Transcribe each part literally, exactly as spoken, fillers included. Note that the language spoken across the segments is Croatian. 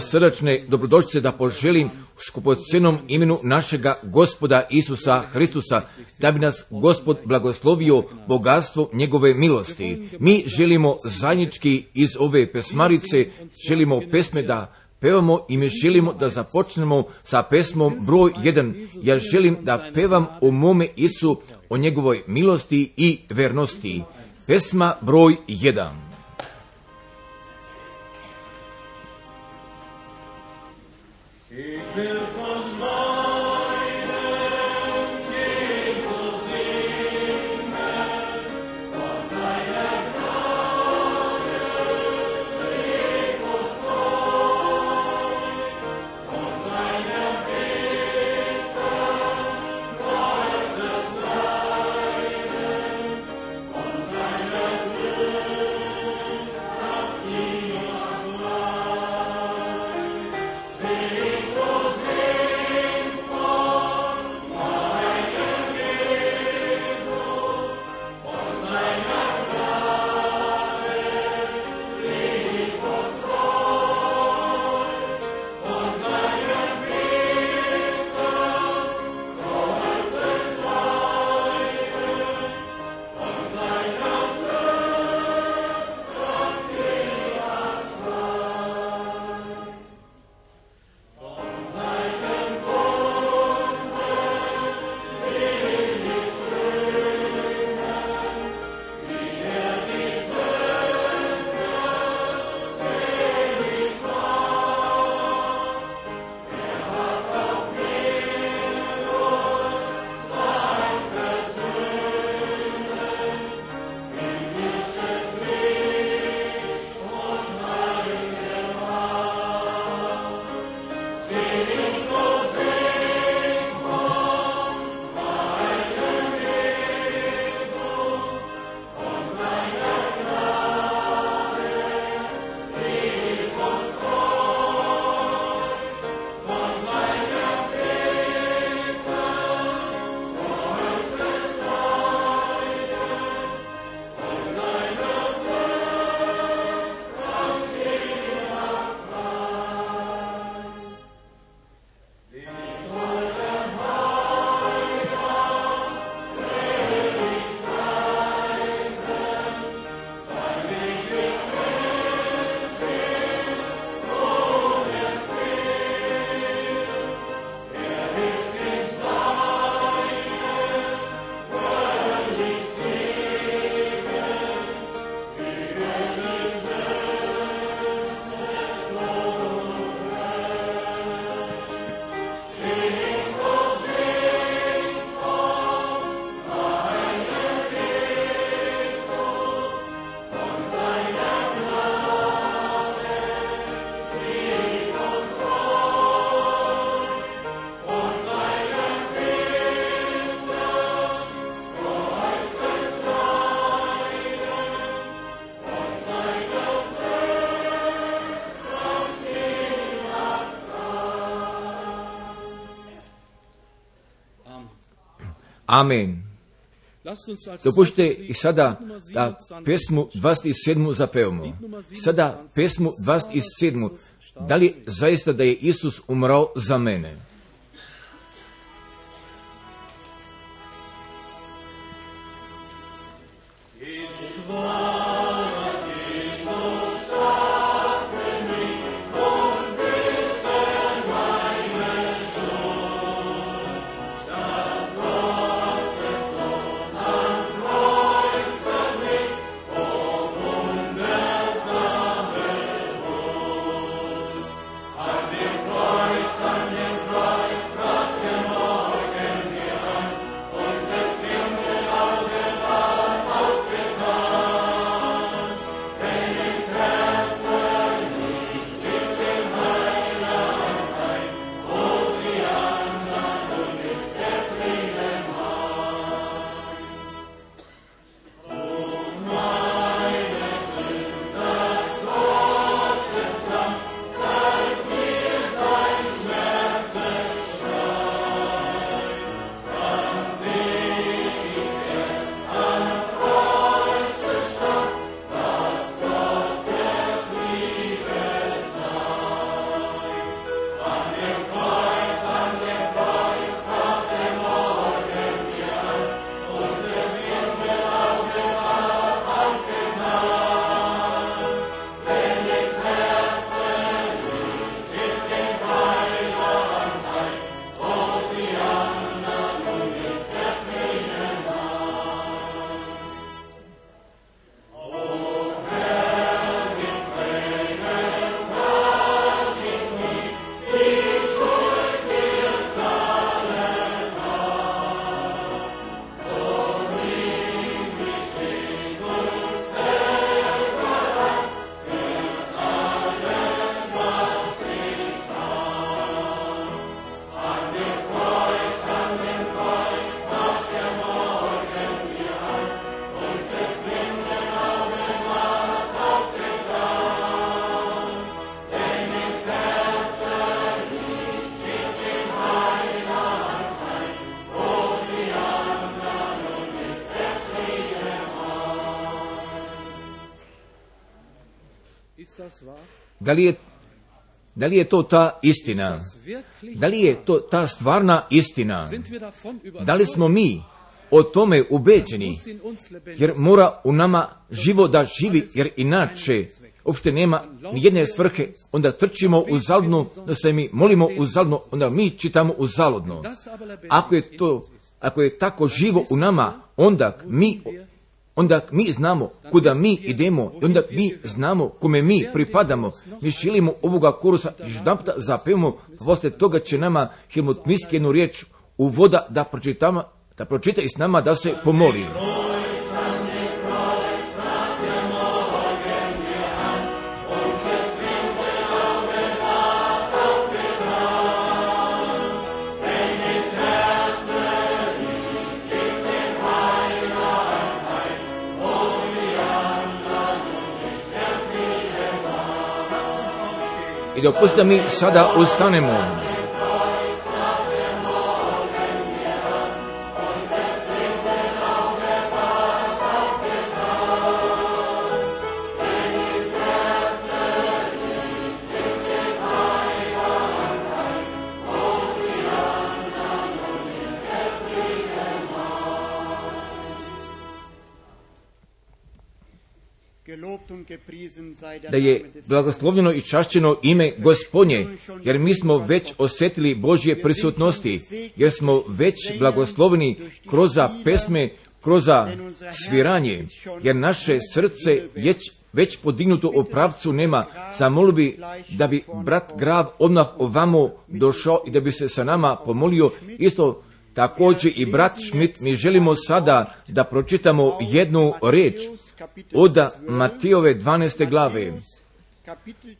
Srdačne dobrodošlice da poželim u skupocenom imenu našega Gospoda Isusa Hristusa, da bi nas Gospod blagoslovio bogatstvo njegove milosti. Mi želimo zajednički iz ove pesmarice, želimo pesme da pevamo i mi želimo da započnemo sa pesmom broj jedan. Ja želim da pevam o mome Isu, o njegovoj milosti i vernosti. Pesma broj jedan. Ich will von meinem Jesus singen, von seiner Gnade ewig und treu, von seiner Bitte weises Leiden, von seiner Sünd ab ihm allein. Singt, o singt von meinem Jesus, von seiner Gnade lieb und treu, von seiner Bitte großes Leiden, von seiner Sünd Kraft jeder frei. Von seinen Wunden will ich grüßen, wie er die Sünde selig macht. Er hat auf Nero sein Versöhnen, himmlisches Licht und heilige Macht. Singt, o singt von meinem Jesus, von seiner Gnade lieb und treu, von seiner Bitte großes Leiden, von seiner Sünd Kraft jeder frei. Liegt eurem Heiland will ich preisen, sein ewig Wind ist ohne Fehl. Er wird den Seinen völlig segnen, wie er die Sünde todfällt. Singt, o singt von meinem Jesus, von seiner Gnade lieb und treu, von seiner Bitte großes Leiden, von seiner Sünd Kraft jeder frei. Amen. Dopušte i sada da pesmu dvadeset sedmu zapevamo. Sada pesmu dvadeset sedmu. Da li zaista da je Isus umrao za mene? Ist wahr, dass Jesus starb für mich und büßte meine Schuld, dass Gottes Sohn am Kreuz für mich, o wundersame Huld. An dem Kreuz, an dem Kreuz Da li je, da li je to ta istina? Da li je to ta stvarna istina? Da li smo mi o tome ubeđeni? Jer mora u nama živo da živi, jer inače uopšte nema ni jedne svrhe, onda trčimo uzaludno, da se mi molimo uzaludno, onda mi čitamo uzaludno. Ako je to, ako je tako živo u nama, onda mi, onda mi znamo kuda mi idemo, i onda mi znamo kome mi pripadamo. Mi želimo ovoga korusa jedanputa zapevamo, poslije toga će nama Helmut Miske jednu riječ uvoda da pročitamo, da pročita i s nama da se pomoli. I dopustite da mi sada ustanemo. Da je blagoslovljeno i čašćeno ime Gospodnje, jer mi smo već osjetili Božje prisutnosti, jer smo već blagosloveni kroz pesme, kroz sviranje, jer naše srce je već podignuto u pravcu nema. Zamolio bi da bi brat Grav odmah ovamo došao i da bi se sa nama pomolio. Isto također i brat Schmidt, mi želimo sada da pročitamo jednu riječ od Matejove dvanaeste glave.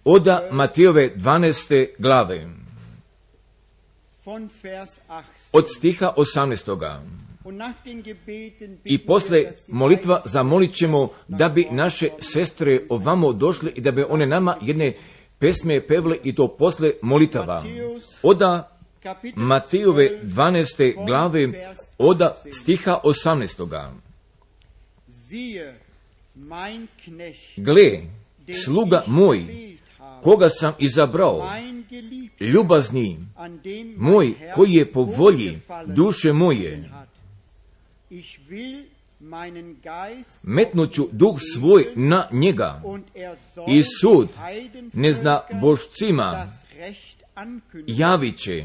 Od Matejove dvanaeste glave. Od stiha osamnaestoga. I posle molitva zamolit ćemo da bi naše sestre ovamo došle i da bi one nama jedne pesme pevle i to posle molitava. Od Matejove dvanaeste glave od stiha osamnaestoga. Gle, sluga moj, koga sam izabrao, ljubazni moj, koji je po volji duše moje. Metnuću duh svoj na njega i sud ne zna božcima javit će.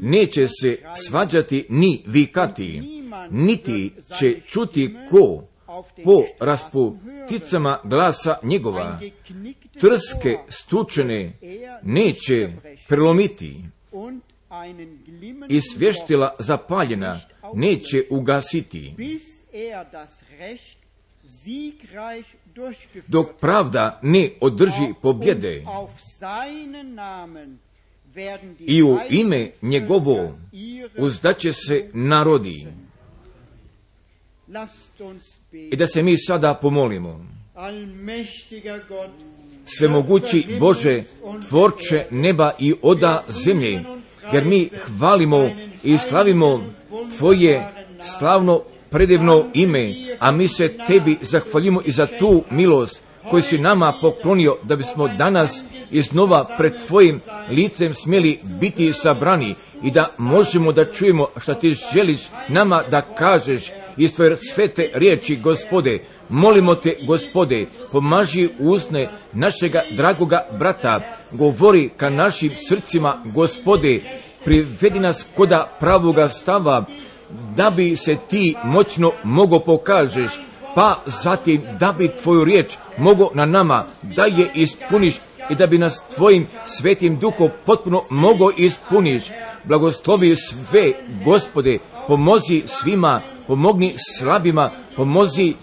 Neće se svađati ni vikati, niti će čuti ko po rasputicama glasa njegova. Trske stučene neće prelomiti i svještila zapaljena neće ugasiti. Dok pravda ne održi pobjede i u ime njegovo uzdaće se narodi. I da se mi sada pomolimo. Svemogući Bože, tvorče neba i oda zemlje, jer mi hvalimo i slavimo Tvoje slavno predivno ime, a mi se Tebi zahvaljujemo i za tu milost koju si nama poklonio, da bismo danas iznova pred Tvojim licem smjeli biti sabrani i da možemo da čujemo što Ti želiš nama da kažeš iz Tvoje svete riječi, Gospode. Molimo Te, Gospode, pomaži usne našega dragoga brata, govori ka našim srcima, Gospode, privedi nas koda pravoga stava, da bi se Ti moćno mogo pokažeš, pa zatim da bi Tvoju riječ mogo na nama da je ispuniš i da bi nas Tvojim svetim duhom potpuno mogo ispuniš. Blagoslovi sve, Gospode, pomozi svima, pomogni slabima, pomozi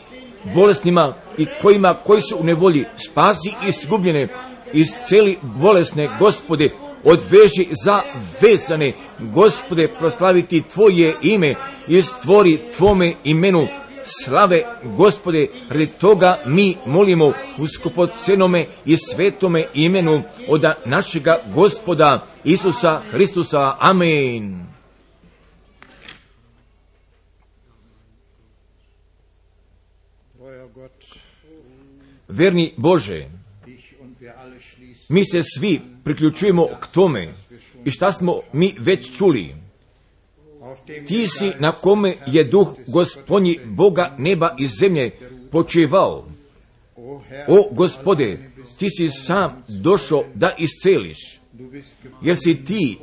bolesnima i kojima koji su u nevolji, spasi izgubljene, isceli bolesne, Gospode, odveži za vezane, Gospode, proslaviti Tvoje ime i stvori Tvome imenu slave, Gospode. Radi toga mi molimo u skupocenome i svetome imenu od našega Gospoda Isusa Hristusa. Amen. Verni Bože, mi se svi priključujemo k tome i šta smo mi već čuli. Ti si na kome je duh Gospodnji Boga neba i zemlje počivao. O Gospode, ti si sam došao da isceliš, jer si ti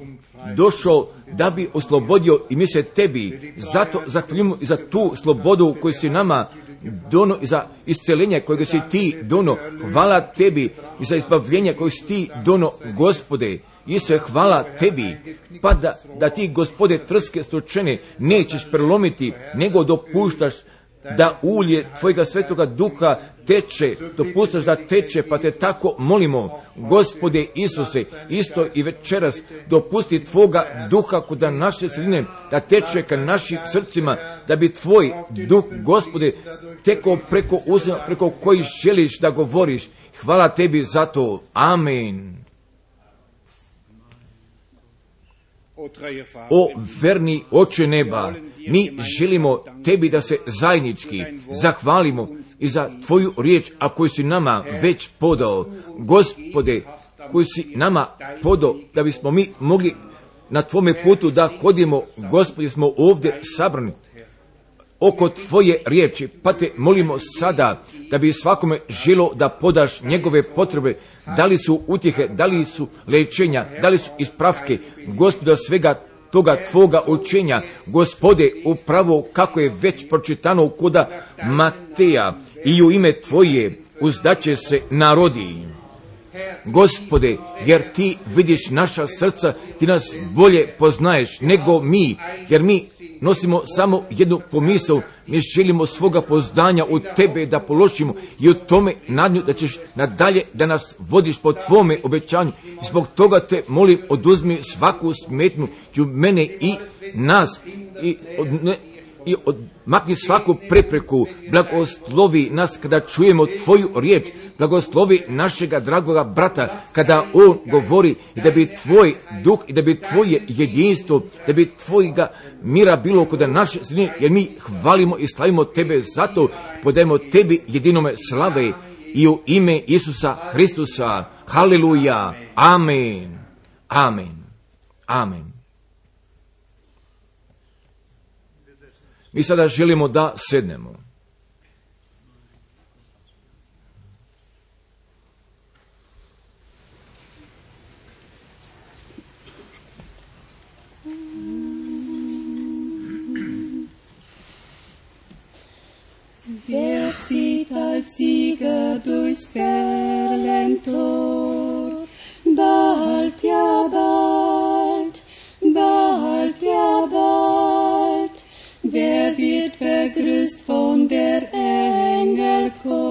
došao da bi oslobodio i mi se tebi zato zahvaljujemo i za tu slobodu koju si nama dono i za iscelenje kojeg si ti dono. Hvala tebi i za izbavljenje kojeg si ti dono, Gospode. Isto je hvala tebi, pa da, da ti, Gospode, trske stočene nećeš prelomiti, nego dopuštaš da ulje tvojega svetoga duha teče, dopuštaš da teče, pa te tako molimo, Gospode Isuse, isto i večeras dopusti tvoga duha kod naše sredine, da teče ka našim srcima, da bi tvoj duh, Gospode, tekao preko uzema, preko koji želiš da govoriš. Hvala tebi za to. Amen. O verni Oče neba, mi želimo tebi da se zajednički zahvalimo i za tvoju riječ, a koju si nama već podao. Gospode, koju si nama podao da bismo mi mogli na tvome putu da hodimo. Gospode, smo ovdje sabrani oko tvoje riječi, pa te molimo sada da bi svakome želo da podaš njegove potrebe, da li su utjehe, da li su lečenja, da li su ispravke, Gospode, svega toga tvoga učenja, Gospode, upravo kako je već pročitano koda Mateja, i u ime tvoje uzdaće se narodi. Gospode, jer ti vidiš naša srca, ti nas bolje poznaješ nego mi, jer mi nosimo samo jednu pomisao, mi želimo svoga poznanja u tebe da položimo i u tome nadnju da ćeš nadalje da nas vodiš po tvome obećanju. I zbog toga te molim, oduzmi svaku smetnju i mene i nas i od, ne, i odmakni svaku prepreku, blagoslovi nas kada čujemo tvoju riječ, blagoslovi našega dragoga brata kada on govori, i da bi tvoj duh i da bi tvoje jedinstvo, da bi tvojega mira bilo kod naše sredine, jer mi hvalimo i slavimo tebe zato, podajemo tebi jedinome slave i u ime Isusa Hristusa. Haleluja. Amen. Amen. Amen. Mi sada želimo da sednemo. Wer zieht als Sieger durchs Perlentor? Bald, ja bald, bald, ja bald. Wer wird begrüßt von der Engelchor?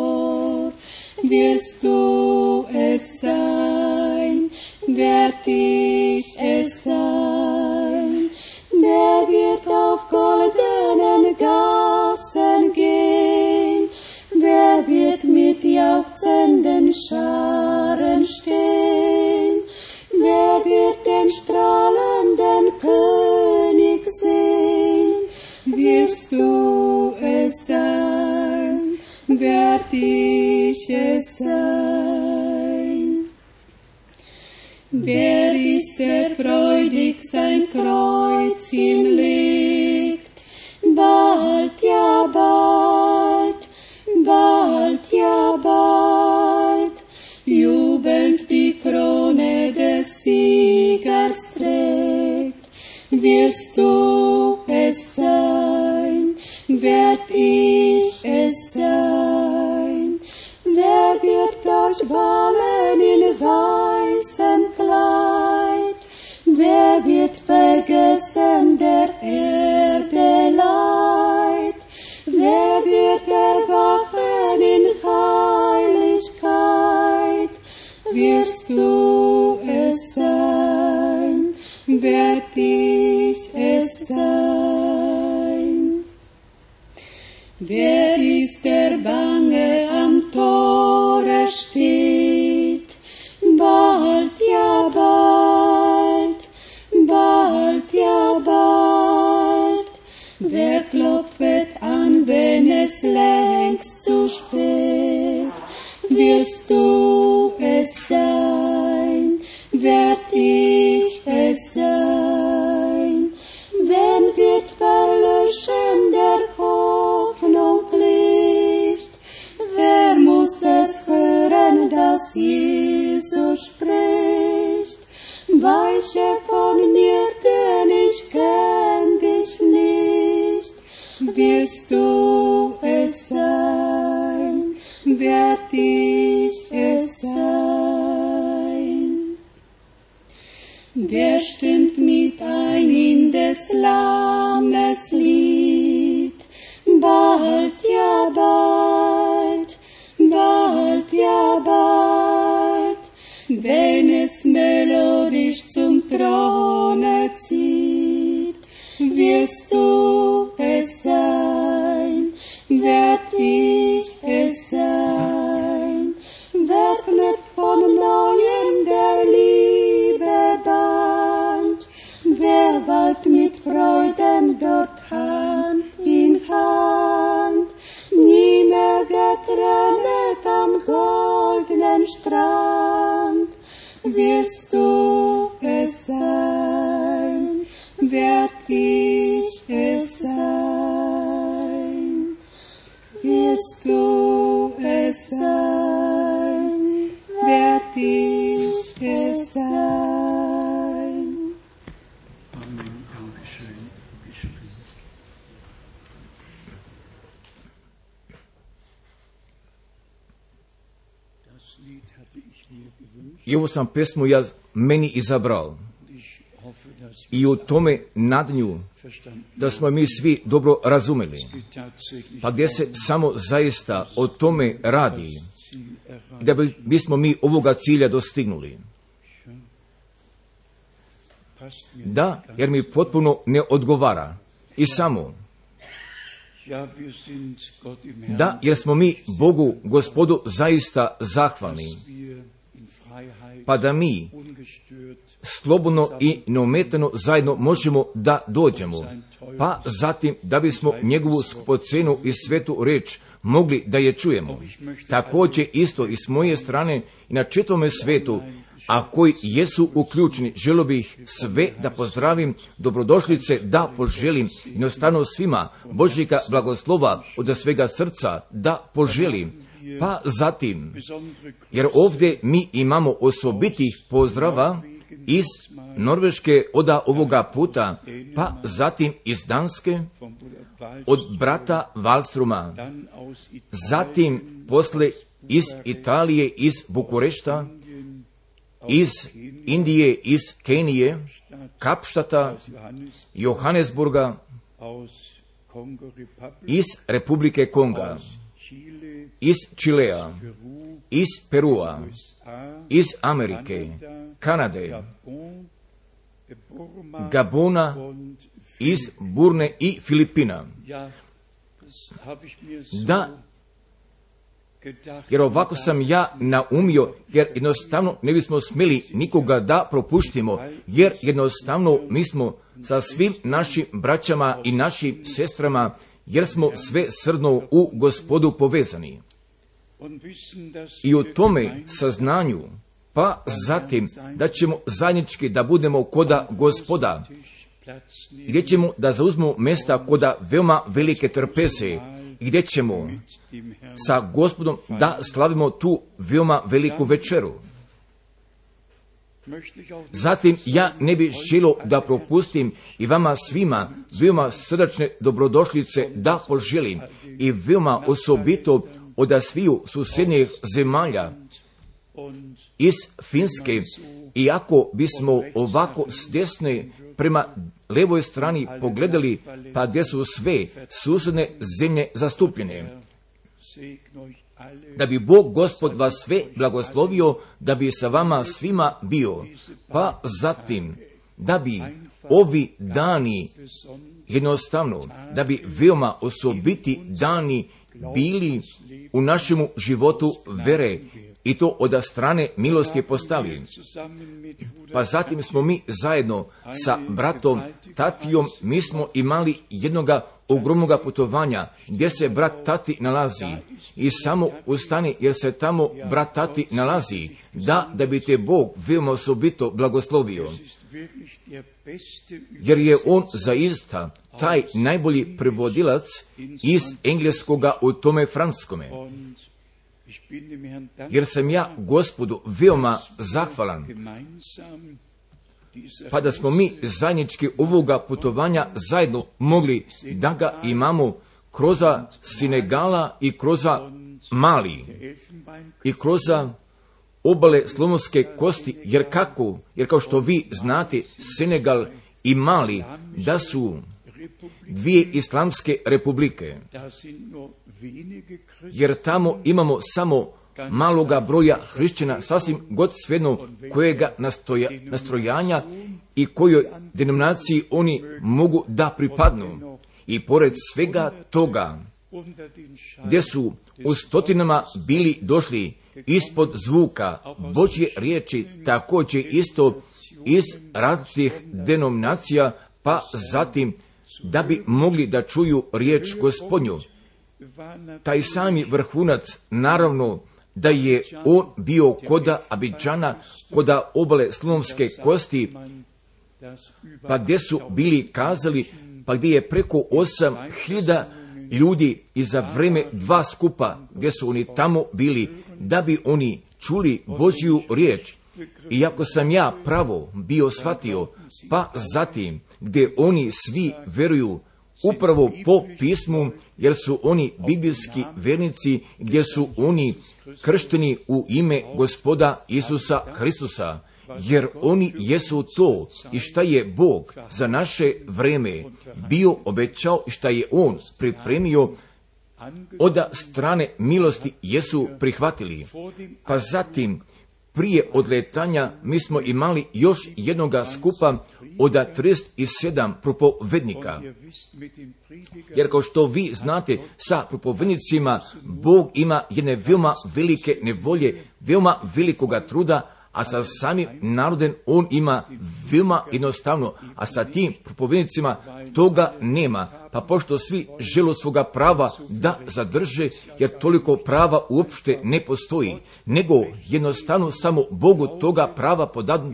Wirst du es sein? Werd ich es sein? Der wird auf goldenen Gassen gehen? Wer wird mit jauchzenden Scharen stehen? Wer wird den strahlenden König sehen? Wirst du es sein? Werd ich es sein? Wer ist der freudig sein Kreuz hinlegt? Bald, ja bald, bald, ja bald, jubelnd die Krone des Siegers trägt. Wirst du es sein? Werd ich es sein? Wer wird dort wallen in weißem Kleid? Wer wird vergessen der Erde Leid? Wer wird erwachen in Heiligkeit? Wirst du es sein? Werd ich es sein? Wer ist der bange am Tore steht? Bald, ja bald, bald, ja bald. Wer klopfet an, wenn es längst zu spät? wirst du es sein, werd ich es sein, wenn wird verlöschen der Hoffnung Licht, wer muss es hören, dass Jesus spricht, weiche von mir, denn ich kenn dich nicht, wirst du es sein, werd ich es sein. Wer stimmt mit ein in des Lammes Lied, bald, ja bald, bald, ja bald, wenn es melodisch zum Throne zieht, wirst du es sein, werd ich es sein, wer knüpft von neuem der Liebe Band, wer wallt mit Freuden dort Hand in Hand, nie mehr getrennt am goldenen Strand, wirst du es sein, werd ich es sein, wirst du es sein, werd ich es sein. Amen. Dankeschön. Das Lied hatte ich mir gewünscht. I ovu sam pesmu ja meni izabrao. Ich hoffe, dass I u tome nadanju verstanden da smo mi svi dobro razumeli. es tatsächlich Pa gdje se samo zaista o tome radi, Ziel erreicht. da bi, bismo mi ovoga cilja dostignuli. Passt mir Da, jer mi potpuno ne odgovara. I samo, Ja, wir sind Gott im Herrn, da, jer smo mi Bogu, Gospodu, zaista zahvalni. dass wir in Freiheit Pa da mi ungestört slobodno i neometano zajedno možemo da dođemo. Pa zatim da bismo njegovu skupocenu i svetu reč mogli da je čujemo. Također isto i s moje strane i na čitavome svetu, a koji jesu uključeni, želio bih sve da pozdravim, dobrodošlice da poželim, jednostavno svima Božjega blagoslova od svega srca da poželim. Pa zatim, besondere jer ovdje mi imamo osobitih pozdrava iz Norveške oda ovoga puta, pa zatim iz Danske, vom Bruder Wald, od brata Wallstroma, dann aus Italien, zatim posle iz Italije, iz Bukurešta, iz Indije, iz Kenije, Kapštata, aus Johannes, Johannesburga, aus Kongo Republic, iz Republike Konga, aus Chile, iz Čilea, Peru, iz Perua, U S A, iz Amerike, Kanade, Gabon, Burma Gabona, und iz Burne i Filipina. ja, das habe ich mir so Da, gedacht. jer ovako sam ja naumio, jer jednostavno ne bismo smjeli nikoga da propuštimo, jer jednostavno mi smo sa svim našim braćama i našim sestrama, jer smo sve srdno u Gospodu povezani. Und wissen, dass I u wir tome gemeinsam saznanju, pa zatim da ćemo zajednički da budemo koda Gospoda, Tisch Platz nehmen, gdje ćemo da zauzmemo mjesta koda veoma velike trpeze, gdje ćemo mit dem Herrn sa Gospodom da slavimo tu veoma veliku večeru. möchte ich auch nicht Zatim ja ne bih želio da propustim i vama svima veoma srdačne dobrodošlice da poželim i veoma osobito od sviju susjednjih zemalja und iz Finske, iako bismo ovako s desne prema levoj strani pogledali, pa gdje su sve susjedne zemlje zastupljene. segne euch alle Da bi Bog Gospod vas sve blagoslovio, da bi sa vama svima bio, pa zatim da bi ovi dani jednostavno, da bi veoma osobiti dani bili u našemu životu vere i to od strane milosti postali. zusammen mit Bruder Pa zatim smo mi zajedno sa bratom Tatijom mi smo imali jednoga ogromnoga putovanja gdje se brat Tati nalazi i samo ustani jer se tamo brat Tati nalazi, da, da bi te Bog veoma osobito blagoslovio. Jer je on zaista taj najbolji prevodilac iz engleskoga u tome franskome. Jer sam ja Gospodu veoma zahvalan, pa da smo mi zajednički ovoga putovanja zajedno mogli da ga imamo kroz Senegala i kroz Mali i kroz obale Slonovske kosti, jer kako, jer kao što vi znate, Senegal i Mali da su dvije islamske republike, jer tamo imamo samo maloga broja hrišćana, sasvim god svejedno kojega nastoja, nastrojanja i kojoj denominaciji oni mogu da pripadnu. I pored svega toga, gdje su u stotinama bili došli ispod zvuka Božje riječi, također isto iz različitih denominacija, pa zatim da bi mogli da čuju riječ Gospodnju. Taj sami vrhunac, naravno, da je on bio koda Abidžana, koda obale Slonovske kosti, pa gdje su bili kazali, pa gdje je preko osam hiljada ljudi i za vreme dva skupa, gdje su oni tamo bili, da bi oni čuli Božju riječ. Iako sam ja pravo bio shvatio, pa zatim gdje oni svi veruju upravo po pismu, jer su oni biblijski vernici, gdje su oni kršteni u ime Gospoda Isusa Hristusa, jer oni jesu to i šta je Bog za naše vreme bio obećao i šta je On pripremio, od strane milosti jesu prihvatili. Pa zatim, prije odletanja, mi smo imali još jednoga skupa od trideset sedam propovednika. Jer kao što vi znate, sa propovednicima Bog ima jedne veoma velike nevolje, veoma velikoga truda, a sa samim narodem on ima veoma jednostavno, a sa tim propovednicima toga nema. Pa pošto svi žele svoga prava da zadrže, jer toliko prava uopšte ne postoji, nego jednostavno samo Bogu toga prava podadu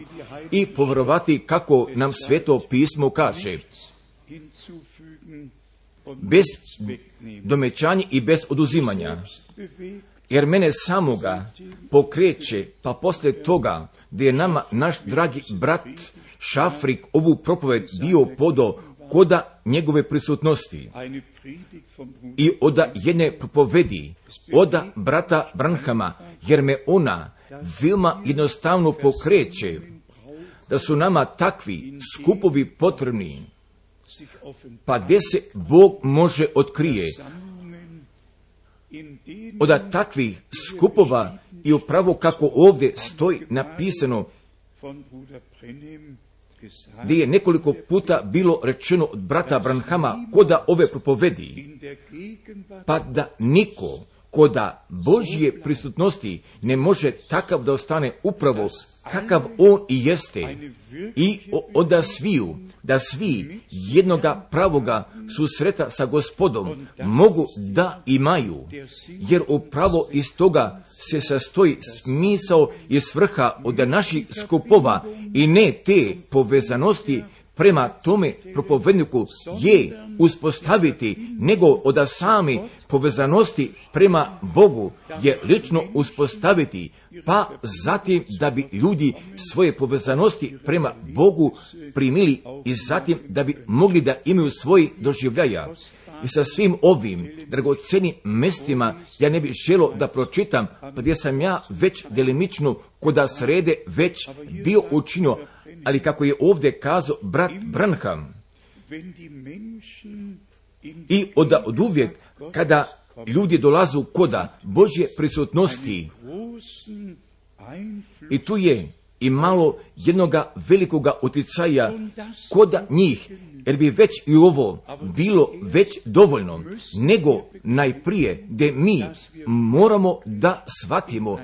i povjerovati kako nam Sveto pismo kaže. Bez domećanja i bez oduzimanja. Jer mene samoga pokreće, pa poslije toga, gdje je nama naš dragi brat Šafrik ovu propoved bio podo koda njegove prisutnosti i od jedne propovedi, od brata Branhama, jer me ona veoma jednostavno pokreće, da su nama takvi skupovi potrebni, pa gdje se Bog može otkrije. Od takvih skupova i upravo kako ovdje stoji napisano, gdje je nekoliko puta bilo rečeno od brata Branhama koda ove propovedi, pa da niko koda Božje prisutnosti ne može takav da ostane upravo kakav on i jeste, i onda sviju, da svi jednoga pravoga susreta sa Gospodom mogu da imaju, jer upravo iz toga se sastoji smisao i svrha od naših skupova i ne te povezanosti prema tome propovedniku je uspostaviti, nego od same povezanosti prema Bogu je lično uspostaviti, pa zatim da bi ljudi svoje povezanosti prema Bogu primili i zatim da bi mogli da imaju svoj doživljaja. I sa svim ovim dragocenim mestima ja ne bih želio da pročitam, pa gdje sam ja već delimično koda srede već bio učinio, ali kako je ovdje kazao brat Branham, i od, od uvijek kada ljudi dolazu koda Božje prisutnosti, i tu je imalo jednoga velikoga utjecaja kod njih, jer bi već i ovo bilo već dovoljno, nego najprije da mi moramo da shvatimo,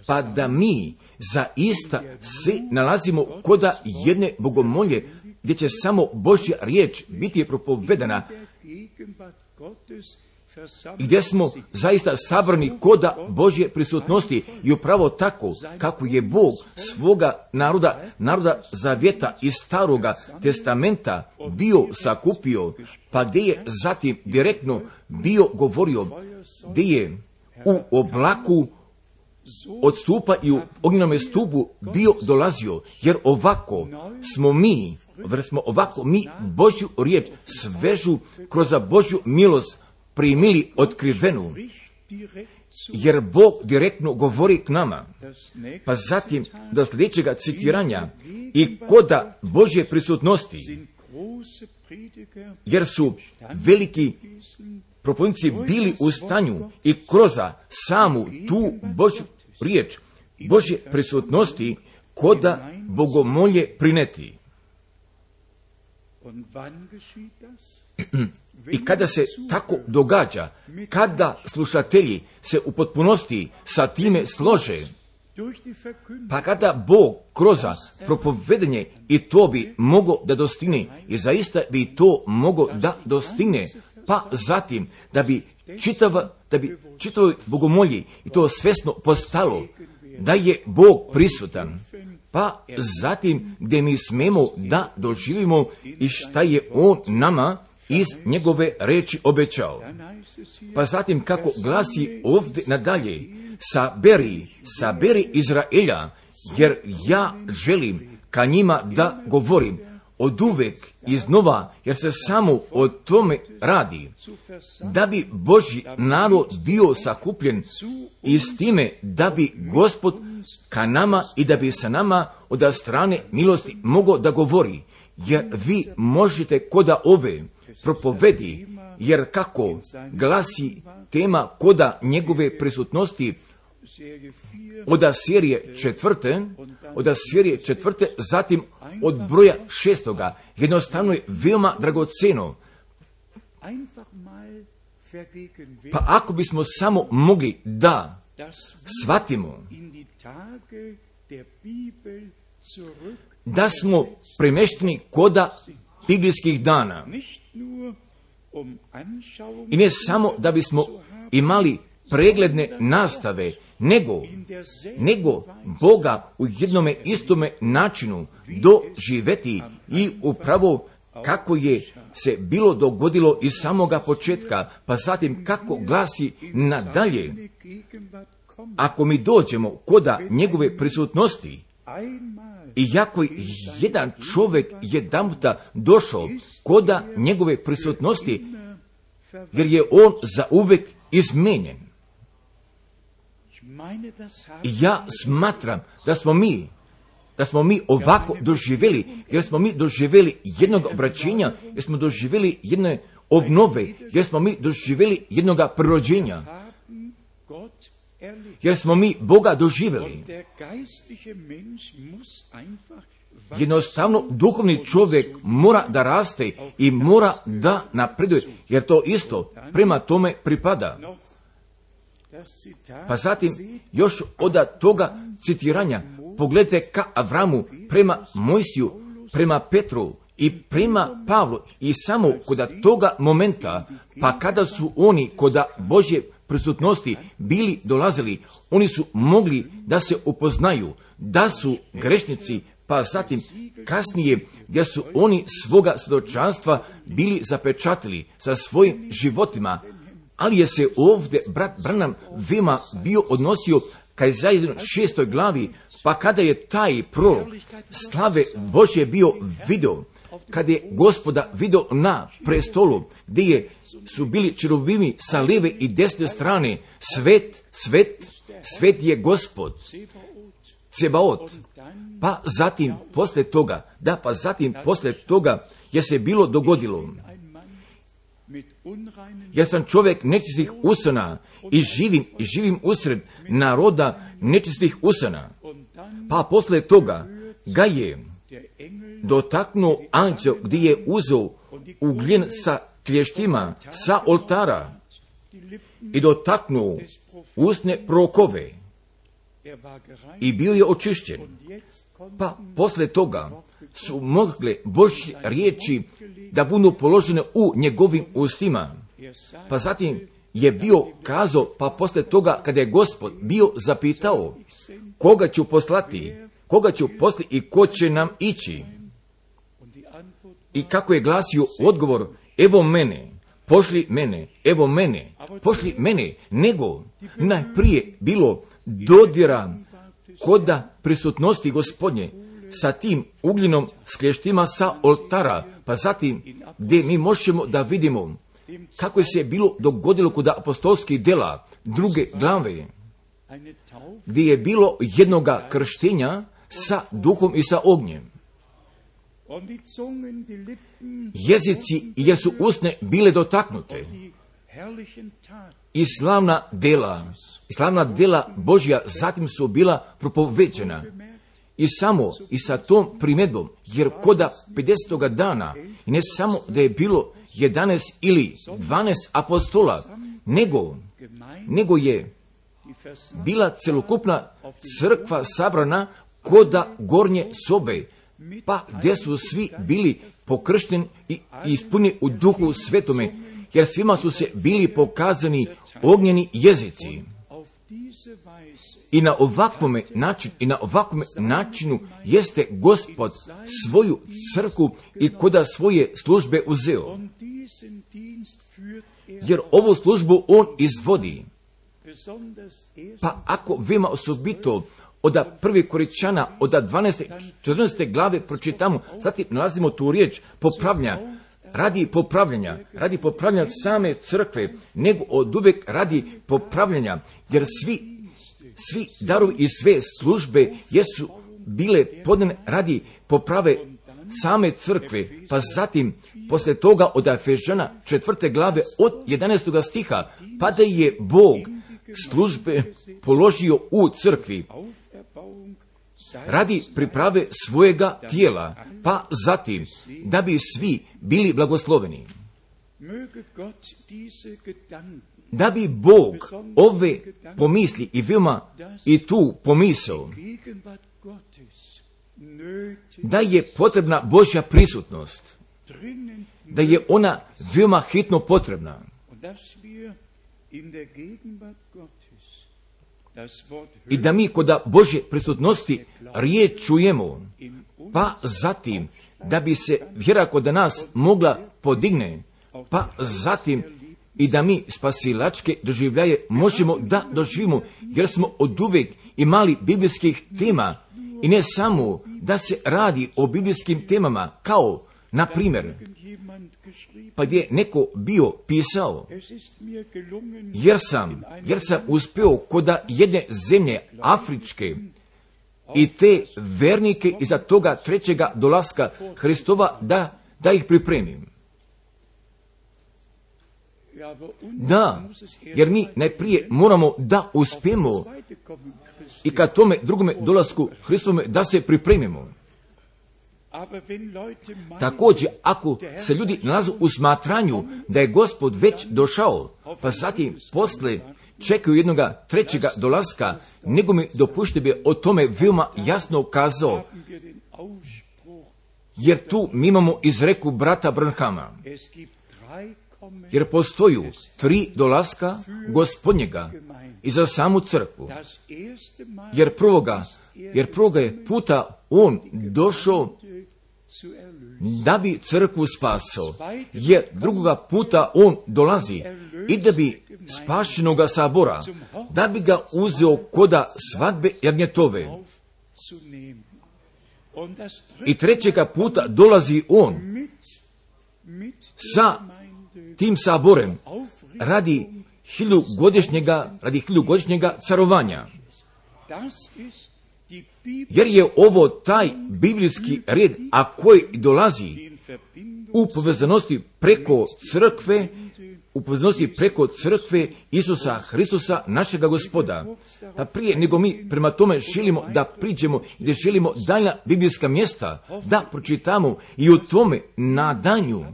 pa da mi zaista se nalazimo kod jedne bogomolje, gdje će samo Božja riječ biti propovedana, gdje smo zaista sabrani kod Božje prisutnosti i upravo tako kako je Bog svoga naroda, naroda zavjeta iz Staroga testamenta bio sakupio, pa gdje je zatim direktno bio govorio, gdje je u oblaku od stupa i u ognjenome stupu bio dolazio, jer ovako smo mi, jer smo ovako mi Božju riječ svežu kroz Božju milost primili otkrivenu, jer Bog direktno govori k nama. Pa zatim do sljedećega citiranja i koda Božje prisutnosti, jer su veliki propovjednici bili u stanju i kroz samu tu Božju riječ, Božje prisutnosti koda bogomolje prineti. I kada se tako događa, kada slušatelji se u potpunosti sa time slože, pa kada Bog kroz propovedanje i to bi mogo da dostigne, i zaista bi to mogo da dostigne, pa zatim da bi čitava, da bi čitavoj bogomolji i to svesno postalo da je Bog prisutan, pa zatim gdje mi smemo da doživimo i šta je On nama iz njegove reči obećao. Pa zatim kako glasi ovdje nadalje, saberi, saberi Izraelja, jer ja želim ka njima da govorim od uvek iznova, jer se samo o tome radi, da bi Božji narod bio sakupljen i s time da bi Gospod ka nama i da bi sa nama od strane milosti mogao da govori, jer vi možete koda ove propovedi, jer kako glasi tema koda njegove prisutnosti od serije četvrte, od serije četvrte, zatim od broja šestoga, jednostavno je veoma dragoceno. Pa ako bismo samo mogli da shvatimo da smo premešteni koda biblijskih dana, i ne samo da bismo imali pregledne nastave, nego, nego Boga u jednome istome načinu doživeti i upravo kako je se bilo dogodilo iz samoga početka, pa zatim kako glasi nadalje, ako mi dođemo koda njegove prisutnosti, iako jedan čovjek jedanputa došao koda njegove prisutnosti, jer je on zauvek izmenjen. I ja smatram da smo mi, da smo mi ovako doživjeli, jer smo mi doživjeli jednog obraćenja, jer smo doživjeli jedne obnove, jer smo mi doživjeli jednoga prirođenja, jer smo mi Boga doživjeli. Jednostavno, duhovni čovjek mora da raste i mora da napreduje, jer to isto prema tome pripada. Pa zatim, još od toga citiranja, pogledajte ka Avramu, prema Mojsiju, prema Petru i prema Pavlu, i samo kod toga momenta, pa kada su oni kod Božje prisutnosti bili dolazili, oni su mogli da se upoznaju, da su grešnici, pa zatim kasnije gdje su oni svoga svjedočanstva bili zapečatili sa svojim životima, ali je se ovdje brat Branham veoma bio odnosio ka Izajinoj šestoj glavi, pa kada je taj prorok slave Božje bio video, kada je Gospoda video na prestolu, gdje je, su bili čerubimi sa lijeve i desne strane, svet, svet, svet je Gospod, Cebaot. Pa zatim posle toga, da pa zatim posle toga je se bilo dogodilo, jer sam čovjek nečistih usana i živim, i živim usred naroda nečistih usana. Pa posle toga ga je dotaknuo anđeo gdje je uzeo ugljen sa klještima sa oltara i dotaknuo usne prorokove i bio je očišćen. Pa posle toga su mogle Božje riječi da budu položene u njegovim ustima. Pa zatim je bio kazao, pa posle toga kada je Gospod bio zapitao koga ću poslati, koga ću poslati i ko će nam ići. I kako je glasio odgovor, evo mene, pošli mene, evo mene, pošli mene, nego najprije bilo dodira koda prisutnosti Gospodnje sa tim ugljenom s klještima sa oltara, pa zatim gdje mi možemo da vidimo kako je se bilo dogodilo kod apostolskih dela druge glave, gdje je bilo jednoga krštenja sa duhom i sa ognjem. Jezici, jer su usne bile dotaknute, i slavna dela, i slavna dela Božja zatim su bila propoveđena. I samo i sa tom primjedbom, jer koda pedesetoga dana, i ne samo da je bilo jedanaest ili dvanaest apostola, nego, nego je bila celokupna crkva sabrana koda gornje sobe, pa gdje su svi bili pokršteni i ispunjeni u duhu svetome, jer svima su se bili pokazani ognjeni jezici. I na ovakvome načinu, i na ovakvome načinu jeste Gospod svoju crkvu i koda svoje službe uzeo. Jer ovu službu on izvodi. Pa ako vema osobito od prvi Korinčana, od dvanaeste, četrnaeste glave pročitamo, zatim nalazimo tu riječ popravljanja, radi popravljanja, radi popravljanja same crkve, nego od uvijek radi popravljanja, jer svi, svi darovi i sve službe jesu bile podane radi poprave same crkve, pa zatim posle toga od Efežana četvrte glave od jedanaestog stiha, pa da je Bog službe položio u crkvi radi priprave svojega tijela, pa zatim da bi svi bili blagosloveni. Da bi Bog ove pomisli i veoma i tu pomisao da je potrebna Božja prisutnost, da je ona veoma hitno potrebna, i da mi kod Božje prisutnosti riječ čujemo, pa zatim da bi se vjera kod nas mogla podigne, pa zatim i da mi spasilačke doživljaje možemo da doživimo, jer smo oduvijek imali biblijskih tema, i ne samo da se radi o biblijskim temama, kao, na primjer, pa gdje neko bio pisao, jer sam, jer sam uspio kod jedne zemlje afričke i te vernike iza toga trećega dolaska Hristova da, da ih pripremim. Da, jer mi najprije moramo da uspijemo i kad tome drugome dolasku Hristove da se pripremimo. Također, ako se ljudi nalaze u smatranju da je Gospod već došao, pa zatim posle čekaju jednoga trećega dolaska, nego mi dopušte bi o tome veoma jasno kazao, jer tu mi imamo izreku brata Branhama, jer postoju tri dolaska Gospodnjega i za samu crkvu, jer prvoga, jer prvoga je puta on došao da bi crkvu spasao, jer drugoga puta on dolazi i da bi spašenoga sabora, da bi ga uzeo koda svadbe jagnjetove. I trećega puta dolazi on sa tim saborem radi hiljugodišnjega, radi hiljugodišnjega carovanja. Jer je ovo taj biblijski red, a koji dolazi u povezanosti preko crkve upoznosti preko crkve Isusa Hristusa, našega Gospoda. Pa prije nego mi prema tome želimo da priđemo i da želimo daljna biblijska mjesta, da pročitamo i u tome nadanju,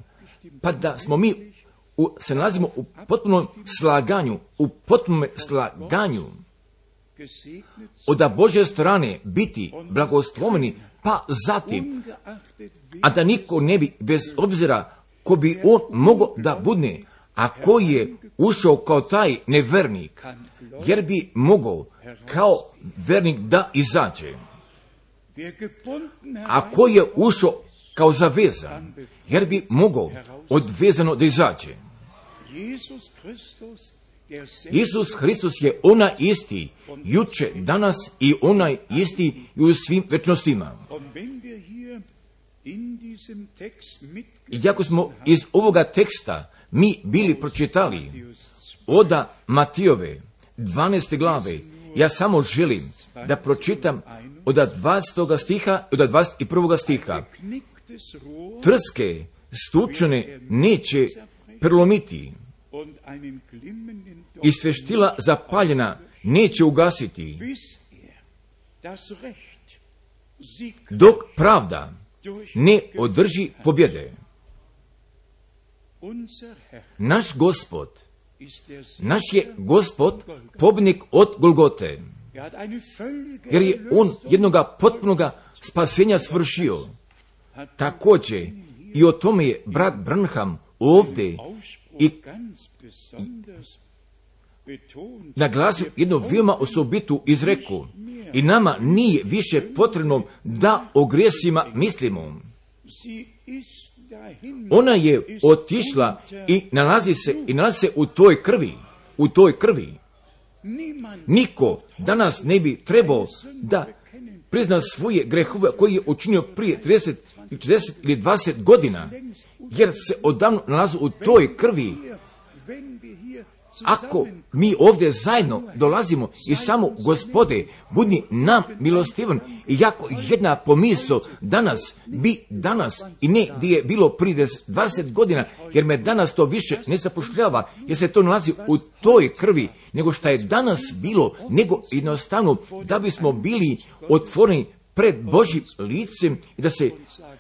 pa da smo mi u, se nalazimo u potpunom slaganju, u potpunom slaganju, od Božje strane biti blagosloveni, pa zatim, a da niko ne bi, bez obzira ko bi on mogao da budne, a koji je ušao kao taj nevernik, jer bi mogao kao vernik da izađe. A koji je ušao kao zavezan, jer bi mogao odvezano da izađe. Isus Hristos je ona isti, juče, danas i onaj isti i u svim večnostima. I jako smo iz ovoga teksta mi bili pročitali oda Matijove dvanaeste glave, ja samo želim da pročitam od dvadesetog stiha do dvadeset prvog stiha. Trske stučene neće prelomiti i sveštila zapaljena neće ugasiti, dok pravda ne održi pobjede. Naš Gospod, naš je Gospod pobjednik od Golgote, jer je on jednoga potpunoga spasenja svršio. Također i o tome je brat Branham ovdje i naglasio jednu veoma osobitu izreku. I nama nije više potrebno da o grijesima mislimo. Ona je otišla i nalazi se, i nalazi se u toj krvi, u toj krvi. Niko danas ne bi trebao da prizna svoje grehove koje je učinio prije trideset, četrdeset ili dvadeset godina, jer se odavno nalazi u toj krvi. Ako mi ovdje zajedno dolazimo i samo Gospode, budi nam milostivan, i jako jedna pomisao danas bi danas i ne gdje je bilo prije dvadeset godina, jer me danas to više ne zapošljava, jer se to nalazi u toj krvi, nego što je danas bilo, nego jednostavno da bismo bili otvoreni pred Božjim licem i da se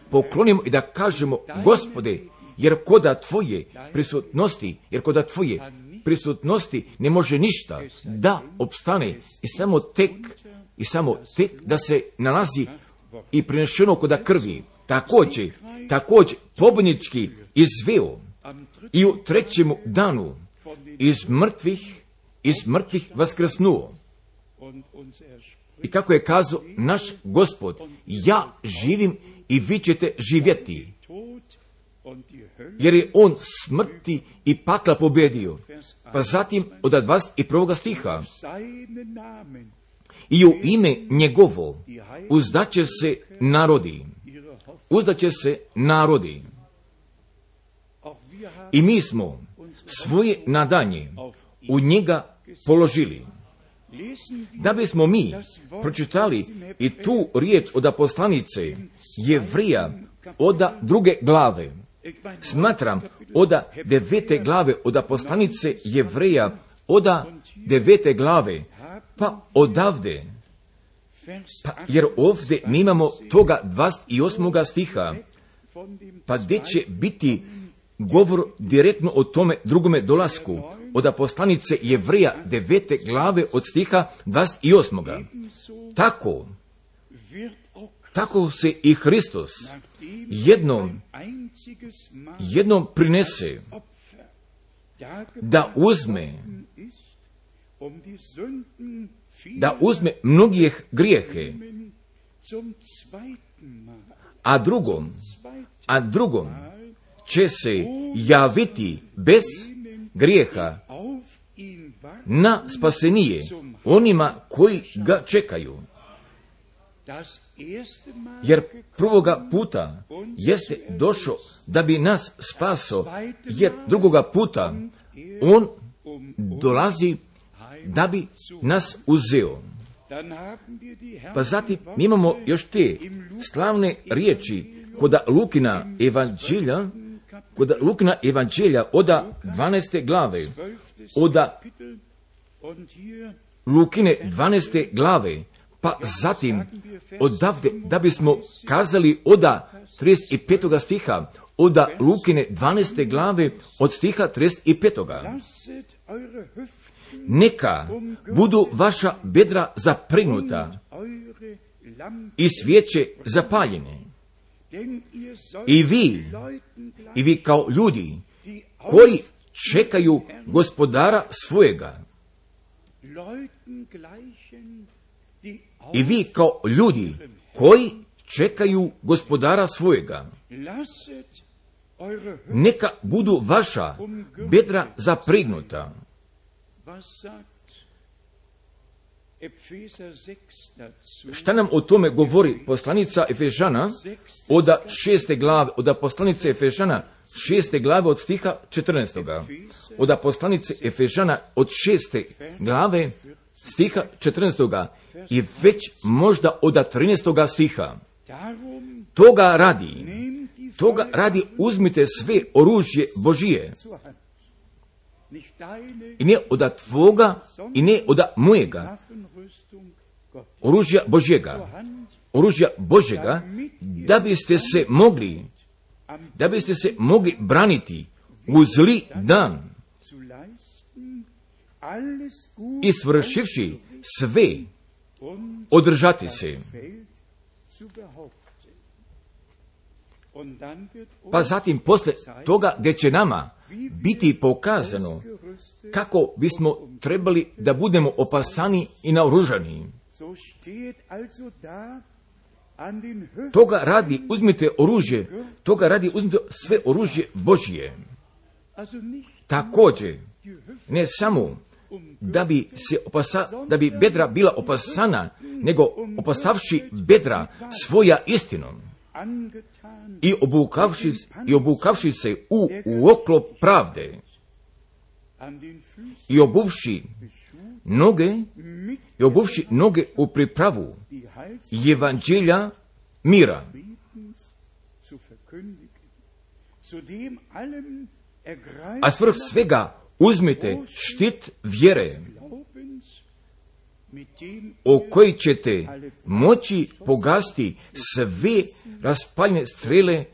poklonimo i da kažemo: Gospode, jer koda Tvoje prisutnosti, jer koda Tvoje prisutnosti ne može ništa da opstane i samo tek i samo tek da se nalazi i prinešeno koda krvi. Također, također pobjednički izveo i u trećemu danu iz mrtvih, iz mrtvih vaskrsnuo. I kako je kazao naš Gospod: ja živim i vi ćete živjeti. Jer je on smrti i pakla pobjedio. Pa zatim od dvadeset prvog stiha: i u ime njegovo uzdaće se narodi. Uzdaće se narodi. I mi smo svoje nadanje u njega položili. Da bismo mi pročitali i tu riječ od poslanice Jevrija od druge glave. Smatram od devete glave od poslanice Jevreja, od devete glave, pa odavde, pa jer ovdje mi imamo toga dvadeset osmog stiha, pa gdje će biti govor direktno o tome drugome dolasku, od poslanice Jevreja devete glave od stiha dvadeset osmog. Tako, tako se i Hristos jednom, jednom prinese da uzme, da uzme mnogih grijehe, a drugom, a drugom će se javiti bez grijeha na spasenije onima koji ga čekaju. Jer prvoga puta jeste došao da bi nas spaso, jer drugoga puta on dolazi da bi nas uzeo. Pa zatim imamo još te slavne riječi kod Lukina evanđelja kod Lukina evanđelja oda dvanaeste glave, oda Lukine dvanaeste glave, pa zatim odavde, da bismo kazali oda trideset petoga stiha, oda Lukine dvanaeste glave od stiha trideset petoga. Neka budu vaša bedra zapregnuta i svijeće zapaljene. I vi, i vi kao ljudi koji čekaju gospodara svojega. I vi kao ljudi koji čekaju gospodara svojega. Neka budu vaša bedra zapregnuta. Šta nam o tome govori poslanica Efežana od šeste glave, od poslanice Efežana šeste glave od stiha četrnaestoga. Od poslanice Efežana od šeste glave stiha četrnaestoga i već možda od trinaestoga stiha. Toga radi, toga radi uzmite sve oružje Božije. I ne od tvoga i ne od mojega. Oružja Božjega. Oružja Božjega da biste se mogli, da biste se mogli braniti u zli dan i svršivši sve održati se. Pa zatim posle toga gdje će nama biti pokazano kako bismo trebali da budemo opasani i naoružani. Toga radi uzmite oružje, toga radi uzmite sve oružje Božje. Također, ne samo da bi se opasa, da bi bedra bila opasana, nego opasavši bedra svoja istinom i obukavši, i obukavši se u, u oklop pravde i obuvši noge i obuvši noge u pripravu evanđelja mira. A svrh svega uzmite štit vjere, o koji ćete moći pogasti sve raspaljene strele,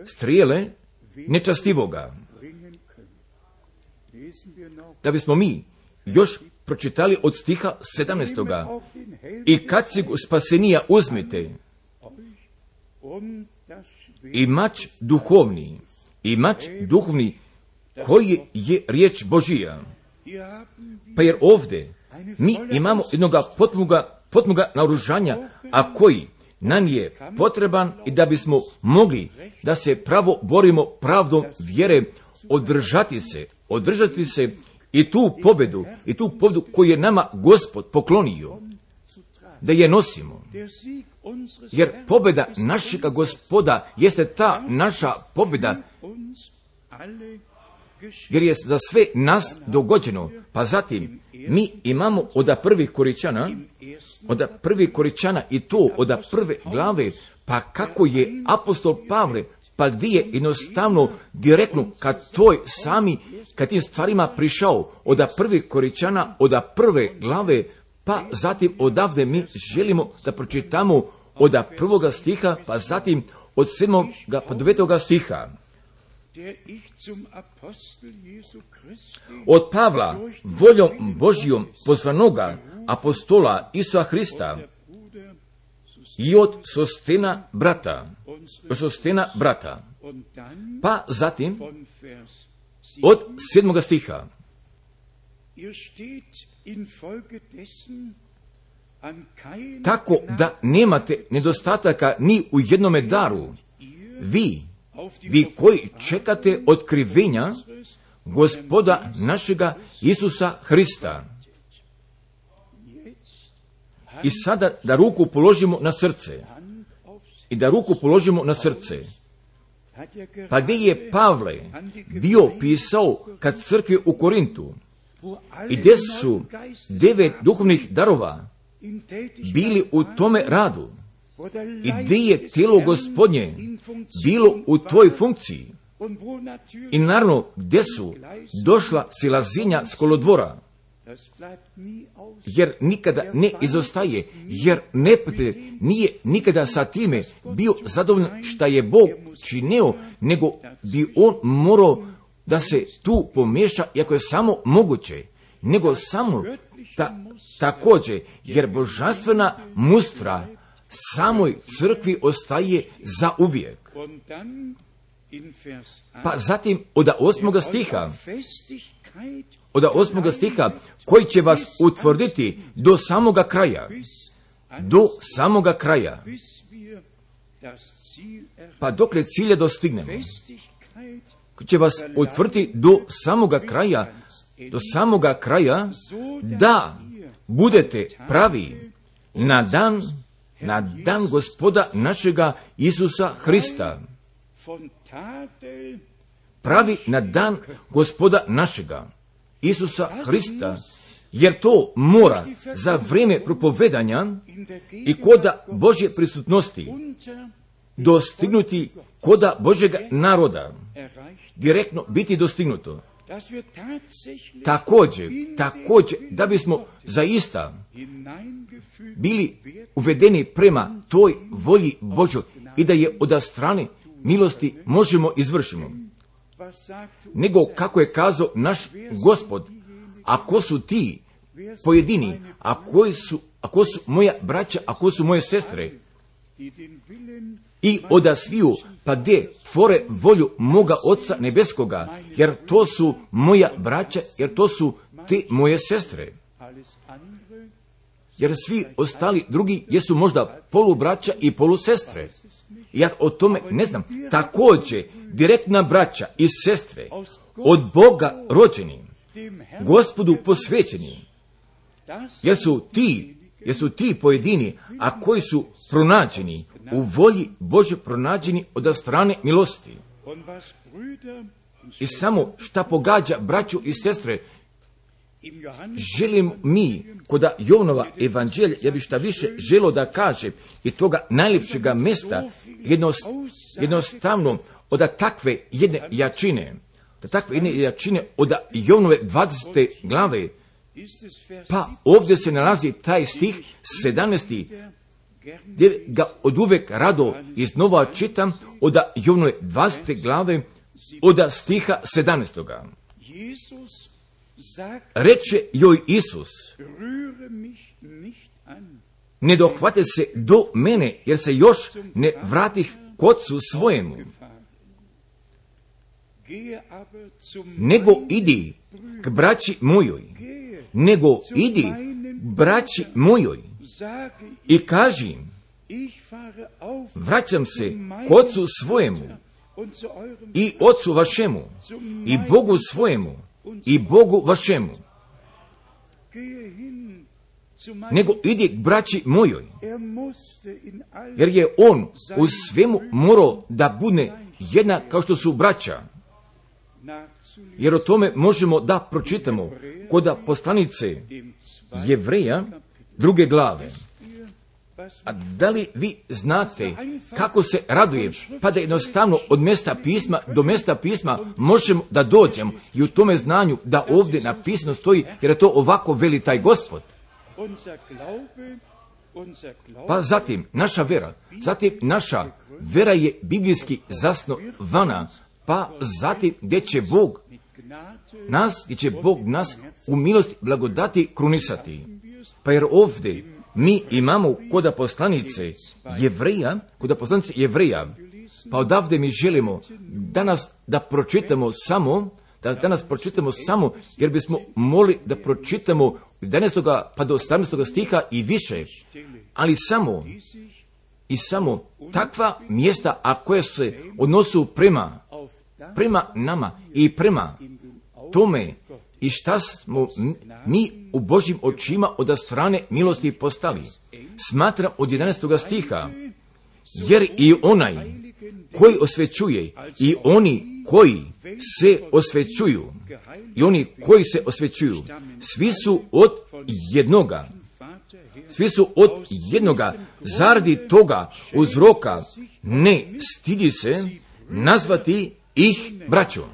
strele nečastivoga. Da bismo mi još pročitali od stiha sedamnaestoga. I kad se spasenija uzmite, i mač duhovni, i mač duhovni, koji je riječ Božija. Pa jer ovdje mi imamo jednoga potpunoga, potpunoga naoružanja, a koji nam je potreban i da bismo mogli da se pravo borimo pravdom vjere, održati se, održati se i tu pobedu, i tu pobedu koju je nama Gospod poklonio, da je nosimo. Jer pobeda našega Gospoda jeste ta naša pobeda, jer je za sve nas dogođeno. Pa zatim mi imamo od prvih Koričana, od prvih Koričana i to od prve glave, pa kako je apostol Pavle, pa gdje je jednostavno direktno kad toj sami, kad tim stvarima prišao od prvih Koričana, od prve glave, pa zatim odavde mi želimo da pročitamo od prvoga stiha, pa zatim od sedmoga pa devetoga stiha. Od Pavla, voljom Božijom pozvanoga apostola Isusa Hrista i od Sostena brata, od Sostena brata, pa zatim od sedmoga stiha. Tako da nemate nedostataka ni u jednome daru, vi, vi koji čekate otkrivenja Gospoda našega Isusa Hrista. I sada da ruku položimo na srce. I da ruku položimo na srce. Pa gdje je Pavle bio pisao kad crkvi u Korintu i gdje su devet duhovnih darova bili u tome radu i gdje je tijelo Gospodnje bilo u toj funkciji, I naravno, gdje su došla silazinja s kolodvora, jer nikada ne izostaje, jer neprijatelj nije nikada sa time bio zadovoljan šta je Bog činio, nego bi on morao da se tu pomiješa, iako je samo moguće, nego samo ta, također, jer božanstvena mustra samoj crkvi ostaje za uvijek. Pa zatim od osmoga stiha, od osmoga stiha, koji će vas utvrditi do samoga kraja, do samoga kraja, pa dokle cilja dostignemo, koji će vas utvrditi do samoga kraja, do samoga kraja, da budete pravi na dan, na dan Gospoda našega Isusa Hrista. Pravi na dan Gospoda našega Isusa Hrista, jer to mora za vrijeme propovedanja i koda Božje prisutnosti dostignuti koda Božjega naroda, direktno biti dostignuto. Također, također, da bismo zaista bili uvedeni prema toj volji Božjoj i da je od strane milosti možemo izvršimo. Nego kako je kazao naš Gospod, ako su ti pojedini, a koji su, ako su moja braća, ako su moje sestre, i odasviju, pa gdje tvore volju moga Oca nebeskoga, jer to su moja braća, jer to su te moje sestre. Jer svi ostali drugi jesu možda polubraća i polusestre. Ja o tome ne znam. Također, direktna braća i sestre, od Boga rođeni, Gospodu posvećeni, jer su ti, jer su ti pojedini, a koji su pronađeni u volji Božje, pronađeni od strane milosti. I samo šta pogađa braću i sestre, želim mi, koda Jovanova evanđelja, ja bi šta više želio da kaže, i toga najljepšega mjesta, jednost, jednostavno, od takve jedne jačine, od takve jedne jačine, od Jovanove dvadesete glave, pa ovdje se nalazi taj stih sedamnaesti, gdje ga od uvek rado iznova čitam, od Jovanove dvadesete glave, od stiha sedamnaestoga. Reče joj Isus, ne dohvate se do mene, jer se još ne vratih k Ocu svojemu, nego idi k braći mojoj, nego idi braći mojoj i kaži im, vraćam se k Ocu svojemu i Ocu vašemu i Bogu svojemu i Bogu vašemu. Nego idi k braći mojoj, jer je on u svemu morao da bude jedna kao što su braća. Jer o tome možemo da pročitamo kod poslanice Jevreja druge glave. A da li vi znate kako se raduje, pa da jednostavno od mjesta pisma do mjesta pisma možemo da dođemo i u tome znanju da ovdje napisano stoji, jer je to ovako veli taj Gospod. Pa zatim naša vera, zatim naša vera je biblijski zasnovana, pa zatim gdje će Bog nas, gdje će Bog nas u milosti blagodati krunisati. Pa jer ovdje mi imamo koda poslanice Jevreja, koda poslanice Jevreja, pa odavde mi želimo danas da pročitamo samo, da danas pročitamo samo, jer bismo mogli da pročitamo jedanaestog pa do osamnaestog stiha i više, ali samo i samo takva mjesta, a koje se odnosu prema, prema nama i prema tome i šta smo mi u Božjim očima od strane milosti postali. Smatram od jedanaestog stiha, jer i onaj koji osvećuje i oni koji se osvećuju, i oni koji se osvećuju, svi su od jednoga, svi su od jednoga, zaradi toga uzroka ne stidi se nazvati ih, braćo.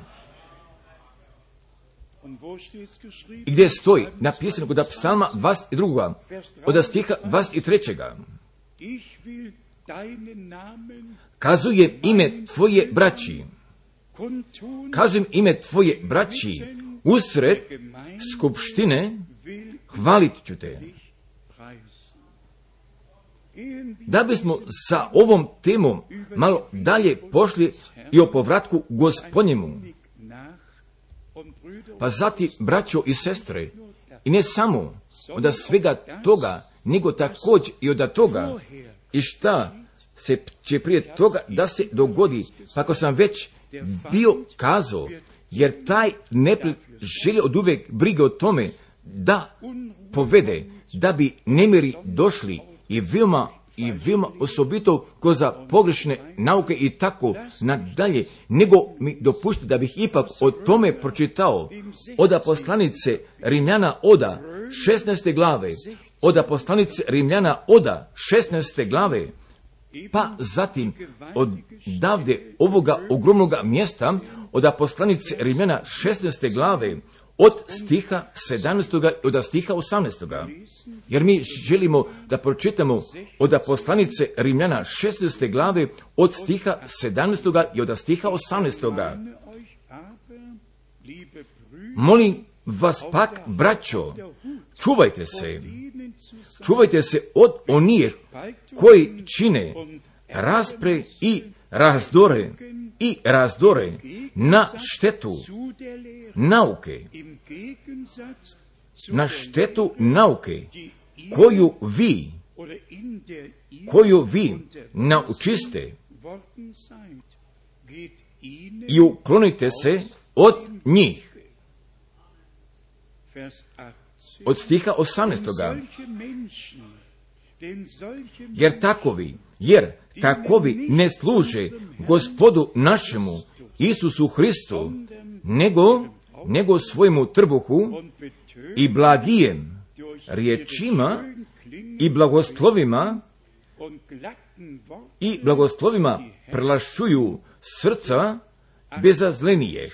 I gdje stoji napisano kod psalma dvadeset dva. od stiha dvadeset tri. Kazujem ime tvoje braći, kazujem ime tvoje braći, usred skupštine hvalit ću te. Da bismo sa ovom temom malo dalje pošli i o povratku Gospodnjemu, pa zatim, braćo i sestre, i ne samo od svega toga, nego također i od toga, i šta se će prije toga da se dogodi, pa ako sam već bio kazao, jer taj neprijatelj želi od uvijek brige o tome da povede, da bi nemiri došli i veoma i veoma osobito ko za pogrešne nauke i tako nadalje, nego mi dopušti da bih ipak o tome pročitao od poslanice Rimljana oda šesnaeste glave, od poslanice Rimljana oda šesnaeste glave, pa zatim od davde ovoga ogromnoga mjesta, od poslanice Rimljana šesnaeste glave, od stiha sedamnaestog i od stiha osamnaestog. Jer mi želimo da pročitamo od poslanice Rimljana šesnaeste glave, od stiha sedamnaestog i od stiha osamnaestog. Molim vas pak, braćo, čuvajte se, čuvajte se od onih koji čine raspre i razdore i razdore na štetu nauke, na štetu nauke koju vi, koju vi naučiste, i uklonite se od njih. Od stiha osamnaestog. Jer takovi, jer takovi ne služe Gospodu našemu Isusu Hristu, nego, nego svojemu trbuhu i blagijem riječima i blagoslovima i blagoslovima prelašuju srca bezazlenijeh.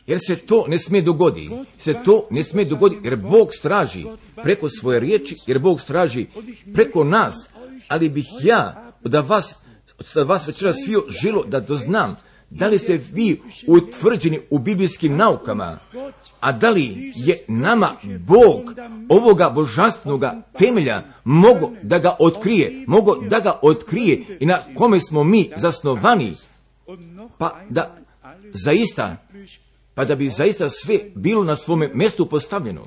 Jer se to ne smije dogoditi, se to ne smije dogoditi, jer Bog straži preko svoje riječi, jer Bog straži preko nas, ali bih ja da vas, da vas večeras svio želo da doznam, da li ste vi utvrđeni u biblijskim naukama, a da li je nama Bog ovoga božanstvenoga temelja mogo da ga otkrije, mogo da ga otkrije i na kome smo mi zasnovani, pa da zaista, pa da bi zaista sve bilo na svome mjestu postavljeno.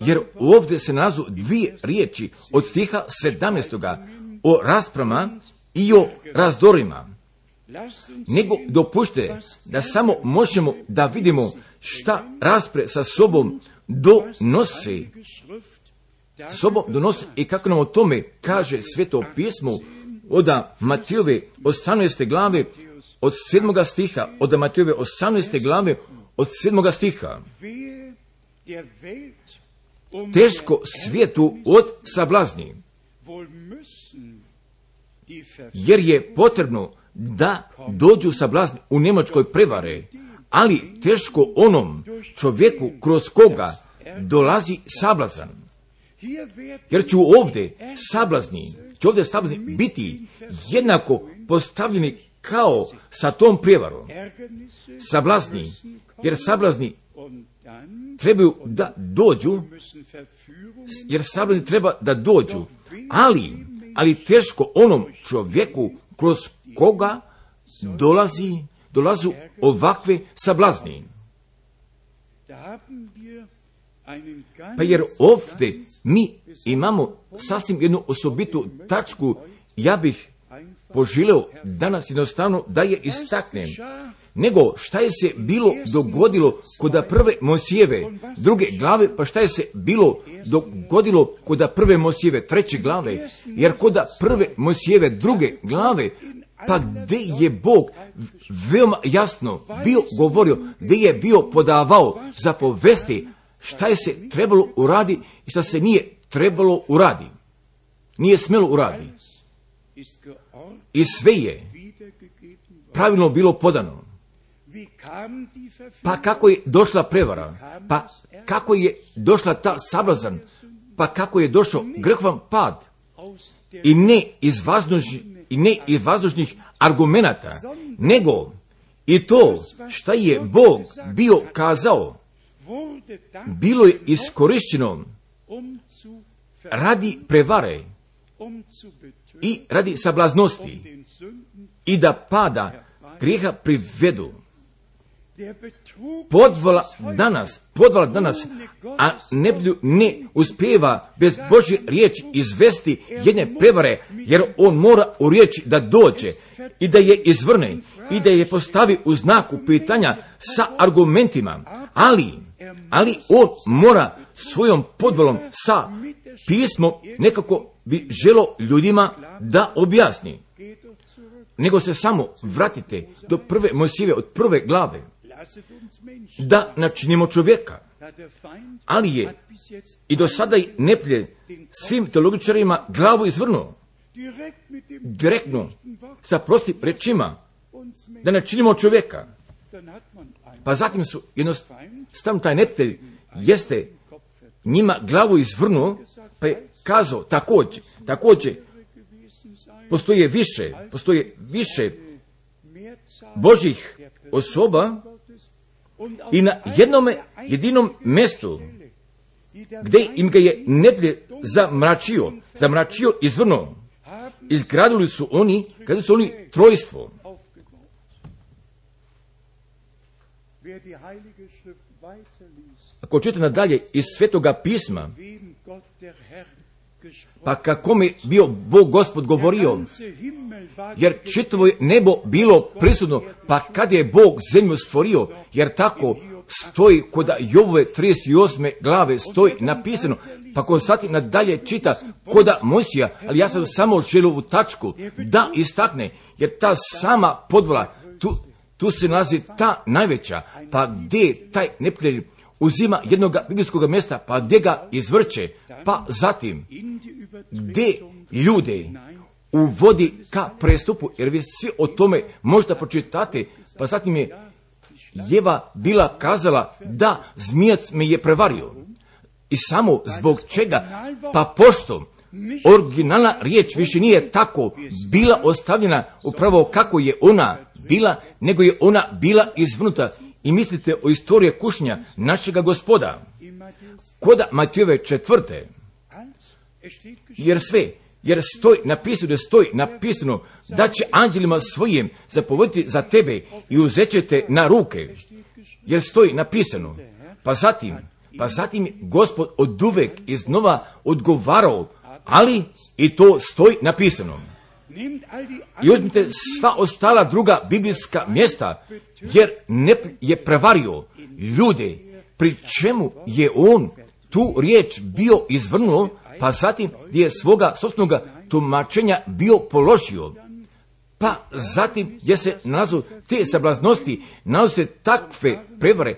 Jer ovdje se nalazu dvije riječi od stiha sedamnaestog o rasprama i o razdorima. Nego dopušte da samo možemo da vidimo šta raspre sa sobom donose, sa sobom donose i kako nam o tome kaže Sveto pismo od Matejove osamnaeste glave, od sedmoga stiha, od Matejove osamnaeste glave, od sedmoga stiha. Teško svijetu od sablazni, jer je potrebno da dođu sablazni u Njemačkoj prevare, ali teško onom čovjeku kroz koga dolazi sablazan. Jer ću ovdje sablazni, će ovdje sablazni biti jednako postavljeni kao sa tom prijevarom. Sablazni, jer sablazni trebaju da dođu, jer sablazni treba da dođu, ali, ali teško onom čovjeku kroz koga dolazi, dolazu ovakve sablazni. Pa jer ovdje mi imamo sasvim jednu osobitu tačku, ja bih poželeo danas jednostavno da je istaknem. Nego šta je se bilo dogodilo kod prve Mojsijeve druge glave, pa šta je se bilo dogodilo kod prve Mojsijeve treće glave, jer kod prve Mojsijeve druge glave, pa gdje je Bog veoma jasno bio govorio, gdje je bio podavao zapovesti šta je se trebalo uradi i šta se nije trebalo uradi. Nije smjelo uradi. I sve je pravilno bilo podano. Pa kako je došla prevara? Pa kako je došla ta sablazan? Pa kako je došao grehvan pad? I ne iz vazdušnih, i ne iz vazdušnih argumenata, nego i to šta je Bog bio kazao, bilo je iskorišćeno radi prevare i radi sablaznosti i da pada grijeha privedu. Podvala danas, podvala danas, a neblju ne uspijeva bez Božje riječi izvesti jedne prevare, jer on mora u riječi da dođe i da je izvrne i da je postavi u znaku pitanja sa argumentima, ali, ali on mora svojom podvalom sa pismom nekako bi želo ljudima da objasni. Nego se samo vratite do prve Mojsijeve od prve glave, da načinimo čovjeka, ali je i do sada i neprijatelj svim teologičarima glavu izvrnuo, direktno sa prostim rečima, da načinimo čovjeka. Pa zatim su jednostavno taj neprijatelj jeste njima glavu izvrnuo, pa je kazao također, također postoje više, postoje više Božjih osoba i na jednome jedinom mjestu gdje im ga je neprijatelj zamračio, zamračio izvrnuo, izgradili su oni, kada su oni trojstvo. Ako čita nadalje iz Svetoga pisma, pa kako mi bio Bog Gospod govorio, jer čitavo je nebo bilo prisutno, pa kad je Bog zemlju stvorio, jer tako stoji kod Jovove trideset osme glave stoji napisano, pa ko sad nadalje čita koda Mojsija, ali ja sam samo želio u tačku da istakne, jer ta sama podvala, tu, tu se nalazi ta najveća, pa gdje taj neprijatelj uzima jednog biblijskog mjesta, pa gdje ga izvrće, pa zatim gdje ljude uvodi ka prestupu, jer vi svi o tome možda pročitate, pa zatim je Jeva bila kazala da zmijac me je prevario. I samo zbog čega? Pa pošto originalna riječ više nije tako bila ostavljena upravo kako je ona bila, nego je ona bila izvrnuta. I mislite o istoriji kušnja našega Gospoda. Koda Matijove četvrte, jer sve, jer stoji napisano, da stoji napisano da će anđelima svojim zapovediti za tebe i uzet će te na ruke, jer stoji napisano. Pa zatim, pa zatim Gospod oduvek iznova odgovarao, ali i to stoji napisano. I uzmite sva ostala druga biblijska mjesta, jer ne je prevario ljude, pri čemu je on tu riječ bio izvrnuo, pa zatim gdje je svoga sopstvenoga tumačenja bio položio. Pa zatim gdje se nalazu te sablaznosti, nalazu se takve prevare,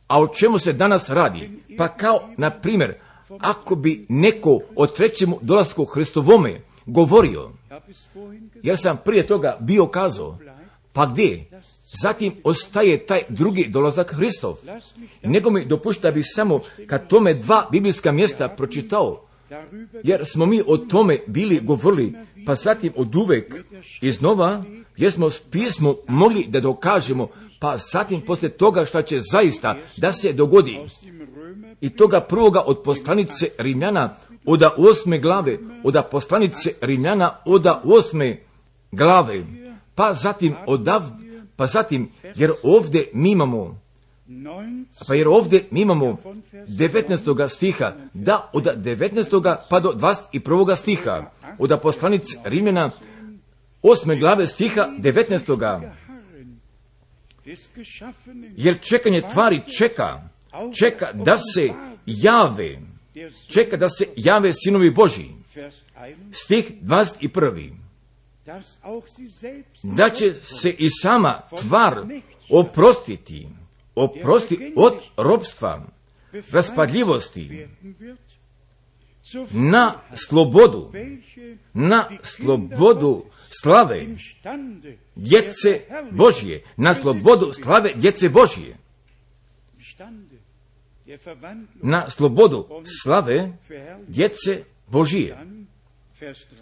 a o čemu se danas radi? Pa kao, na primjer, ako bi neko o trećemu dolasku Hristovome govorio, jer sam prije toga bio kazao, pa gdje? Zatim ostaje taj drugi dolazak Hristov. Nego mi dopušta da bih samo kad tome dva biblijska mjesta pročitao, jer smo mi o tome bili govorili, pa zatim od uvek iznova, jer smo s pismom mogli da dokažemo, pa zatim poslije toga što će zaista da se dogodi. I toga prvoga od poslanice Rimljana, oda osme glave, oda poslanice Rimljana, oda osme glave, pa zatim odavde, pa zatim, jer ovdje mi imamo, pa jer ovdje mi imamo devetnaestoga stiha, da od devetnaestoga pa do dvadeset prvoga stiha, od poslanice Rimljana, osme glave stiha devetnaestoga. Jer čekanje tvari čeka, čeka da se jave, čeka da se jave sinovi Božji. Stih dvadeset prvi. Da će se i sama tvar oprostiti, oprosti od ropstva, raspadljivosti na slobodu, na slobodu slave djece Božje, na slobodu slave djece Božje, na slobodu slave djece Božije.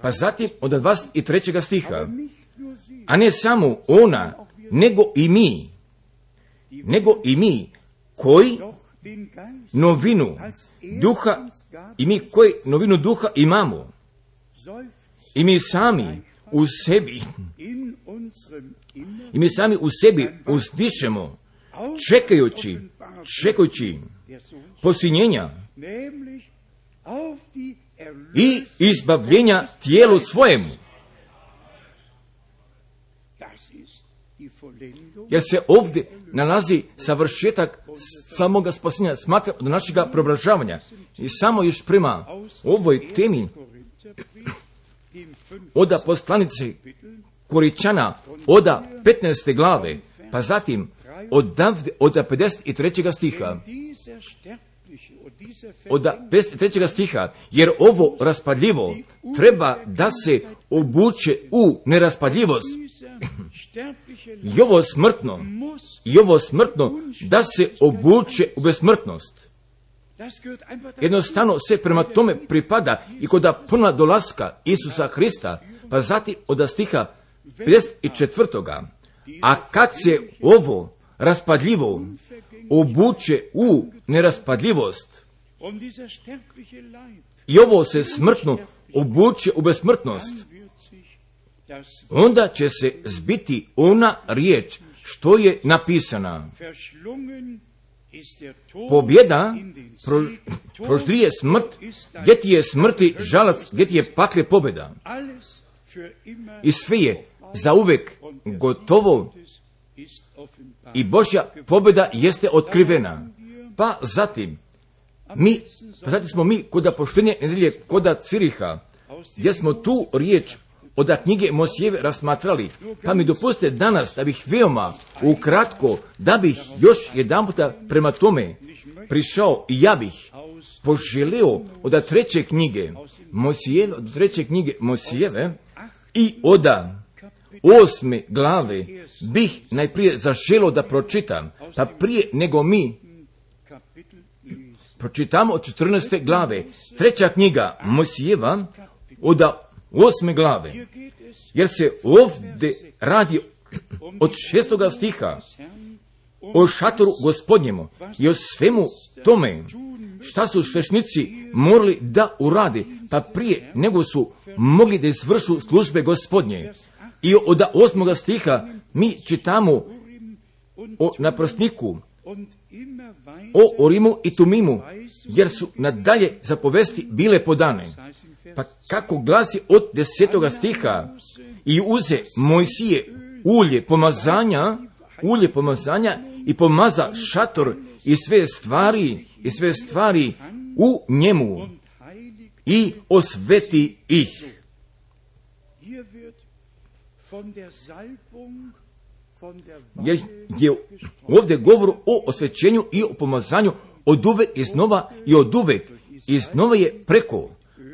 Pa zatim od dvadeset trećeg stiha, a ne samo ona, nego i mi, nego i mi koji novinu duha, i mi koji novinu duha imamo, i mi sami u sebi, i mi sami u sebi uzdišemo, čekajući, čekajući posinjenja i izbavljenja tijelu svojemu. Jer se ovdje nalazi savršetak samoga spasenja, smatra od našega preobražavanja. I samo još prema ovoj temi oda poslanice Koričana, oda petnaeste glave, pa zatim odavde, oda pedeset trećeg stiha, od pedeset trećeg stiha, jer ovo raspadljivo treba da se obuče u neraspadljivost. I ovo smrtno, i ovo smrtno da se obuče u besmrtnost. Jednostavno se prema tome pripada i kod puna dolaska Isusa Hrista, pa zatim od stiha pedeset četvrtog. A kad se ovo raspadljivo obuče u neraspadljivost i ovo se smrtno obuče u besmrtnost, onda će se zbiti ona riječ što je napisana. Pobjeda pro, proždrije smrt, gdje ti je smrti žalac, gdje ti je pakle pobjeda. I sve je zauvek gotovo i Božja pobjeda jeste otkrivena. Pa zatim, mi, pa zatim smo mi koda poštenje nedelje, koda Ciriha, gdje smo tu riječ od knjige Mosijeve rasmatrali, pa mi dopustite danas da bih veoma ukratko, da bih još jedan puta prema tome prišao i ja bih poželeo od treće knjige Mosijeve, od treće knjige Mosijeve i od osme glave bih najprije zaželio da pročitam, pa prije nego mi pročitamo od četrnaeste glave, treća knjiga Mosijeva od osme glave, jer se ovdje radi od šestoga stiha o šatoru Gospodnjemu i o svemu tome šta su svešnici morali da urade, pa prije nego su mogli da izvršu službe Gospodnje. I od osmoga stiha mi čitamo o naprosniku, o Orimu i Tumimu, jer su nadalje zapovesti bile podane. Pa kako glasi od desetoga stiha, i uze Mojsije ulje pomazanja, ulje pomazanja i pomaza šator i sve stvari, i sve stvari u njemu i osveti ih. Jer je ovdje govor o osvećenju i o pomazanju od uvek iznova i od uvek iznova je preko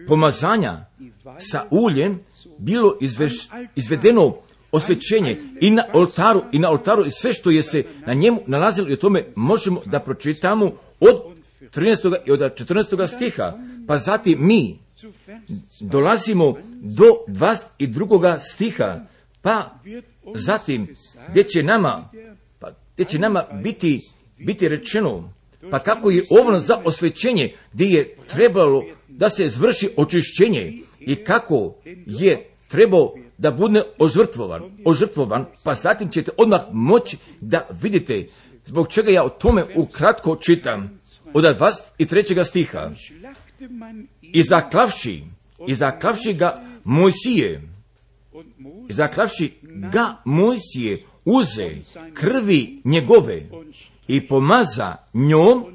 pomazanja sa uljem bilo izveš, izvedeno osvećenje i na oltaru i na oltaru i sve što je se na njemu nalazilo, i o tome možemo da pročitamo od trinaestog i od četrnaestog stiha. Pa zatim mi dolazimo do dvadeset drugog stiha, pa zatim gdje će nama, pa gdje će nama biti, biti rečeno, pa kako je ovo za osvećenje gdje je trebalo da se izvrši očišćenje i kako je trebao da bude ožrtvovan, ožrtvovan, pa zatim ćete odmah moći da vidite zbog čega ja o tome ukratko čitam od dvadeset trećeg stiha. I zaklavši, i zaklavši ga Mojsije, i zaklavši ga Mojsije uze krvi njegove i pomaza njom,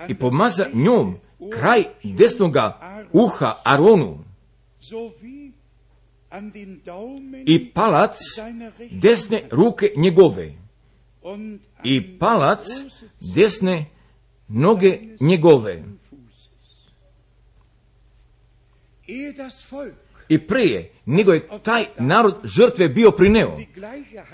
i pomaza njom kraj desnoga uha Aronu i palac desne ruke njegove i palac desne noge njegove. I prije nego je taj narod žrtve bio prineo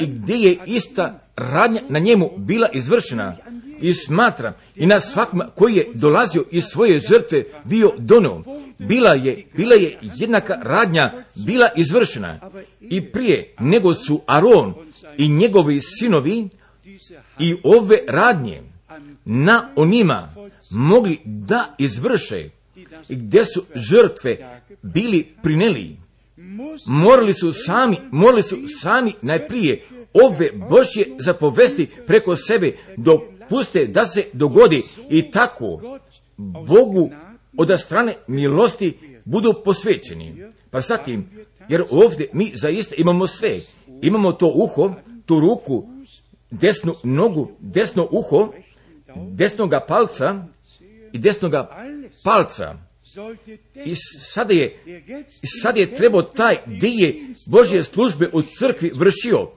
i gdje je ista radnja na njemu bila izvršena, i smatram i na svakom koji je dolazio iz svoje žrtve bio doneo, bila je, bila je jednaka radnja bila izvršena. I prije nego su Aron i njegovi sinovi i ove radnje na onima mogli da izvrše, gdje su žrtve bili prineli, morali su sami, morali su sami najprije ove Božje zapovesti preko sebe dopuste da se dogodi, i tako Bogu od strane milosti budu posvećeni. Pa zatim, jer ovdje mi zaista imamo sve, imamo to uho, tu ruku, desnu nogu, desno uho, desnoga palca i desnoga palca. I sada je, sada je trebao taj dio Božje službe u crkvi vršio,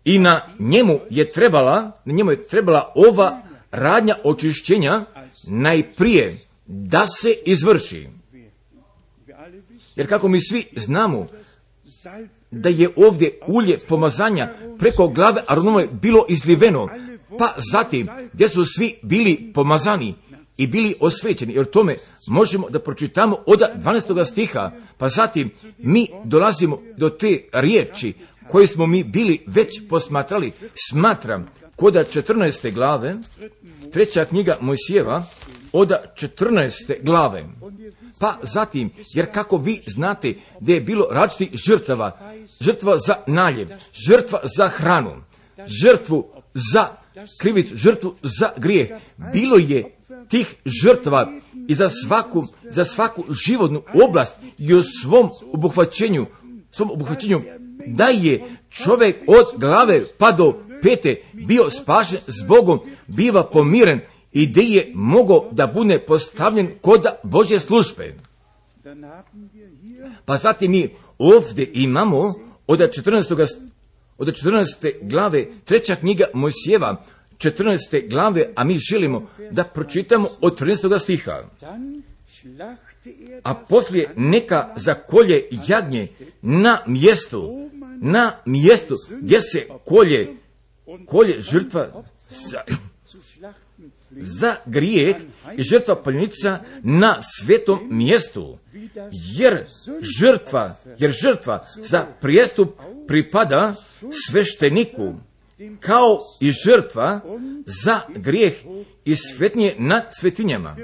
i na njemu je trebala, na njemu je trebala ova radnja očišćenja najprije da se izvrši. Jer kako mi svi znamo da je ovdje ulje pomazanja preko glave Aronove bilo izliveno, pa zatim gdje su svi bili pomazani i bili osvećeni, jer tome možemo da pročitamo od dvanaestog stiha, pa zatim mi dolazimo do te riječi koje smo mi bili već posmatrali. Smatram kod četrnaeste glave, treća knjiga Mojsijeva, od četrnaeste glave. Pa zatim, jer kako vi znate da je bilo različitih žrtava, žrtva za naljev, žrtva za hranu, žrtvu za krivicu, žrtvu za grijeh, bilo je tih žrtava i za svaku, za svaku životnu oblast i u svom obuhvaćenju, svom obuhvaćenju, da je čovjek od glave pa do pete bio spašen s Bogom, biva pomiren i gdje je mogao da bude postavljen kod Božje službe. Pa zatim mi ovdje imamo od četrnaeste glave, treća knjiga Mojsijeva, četrnaeste glave, a mi želimo da pročitamo od trinaestog stiha. A poslije neka zakolje jagnje na mjestu, na mjestu gdje se kolje, kolje žrtva za, za grijeh i žrtva paljenica na svetom mjestu, jer žrtva, jer žrtva za prijestup pripada svešteniku, kao i žrtva za grijeh i svetnije nad svetinjama.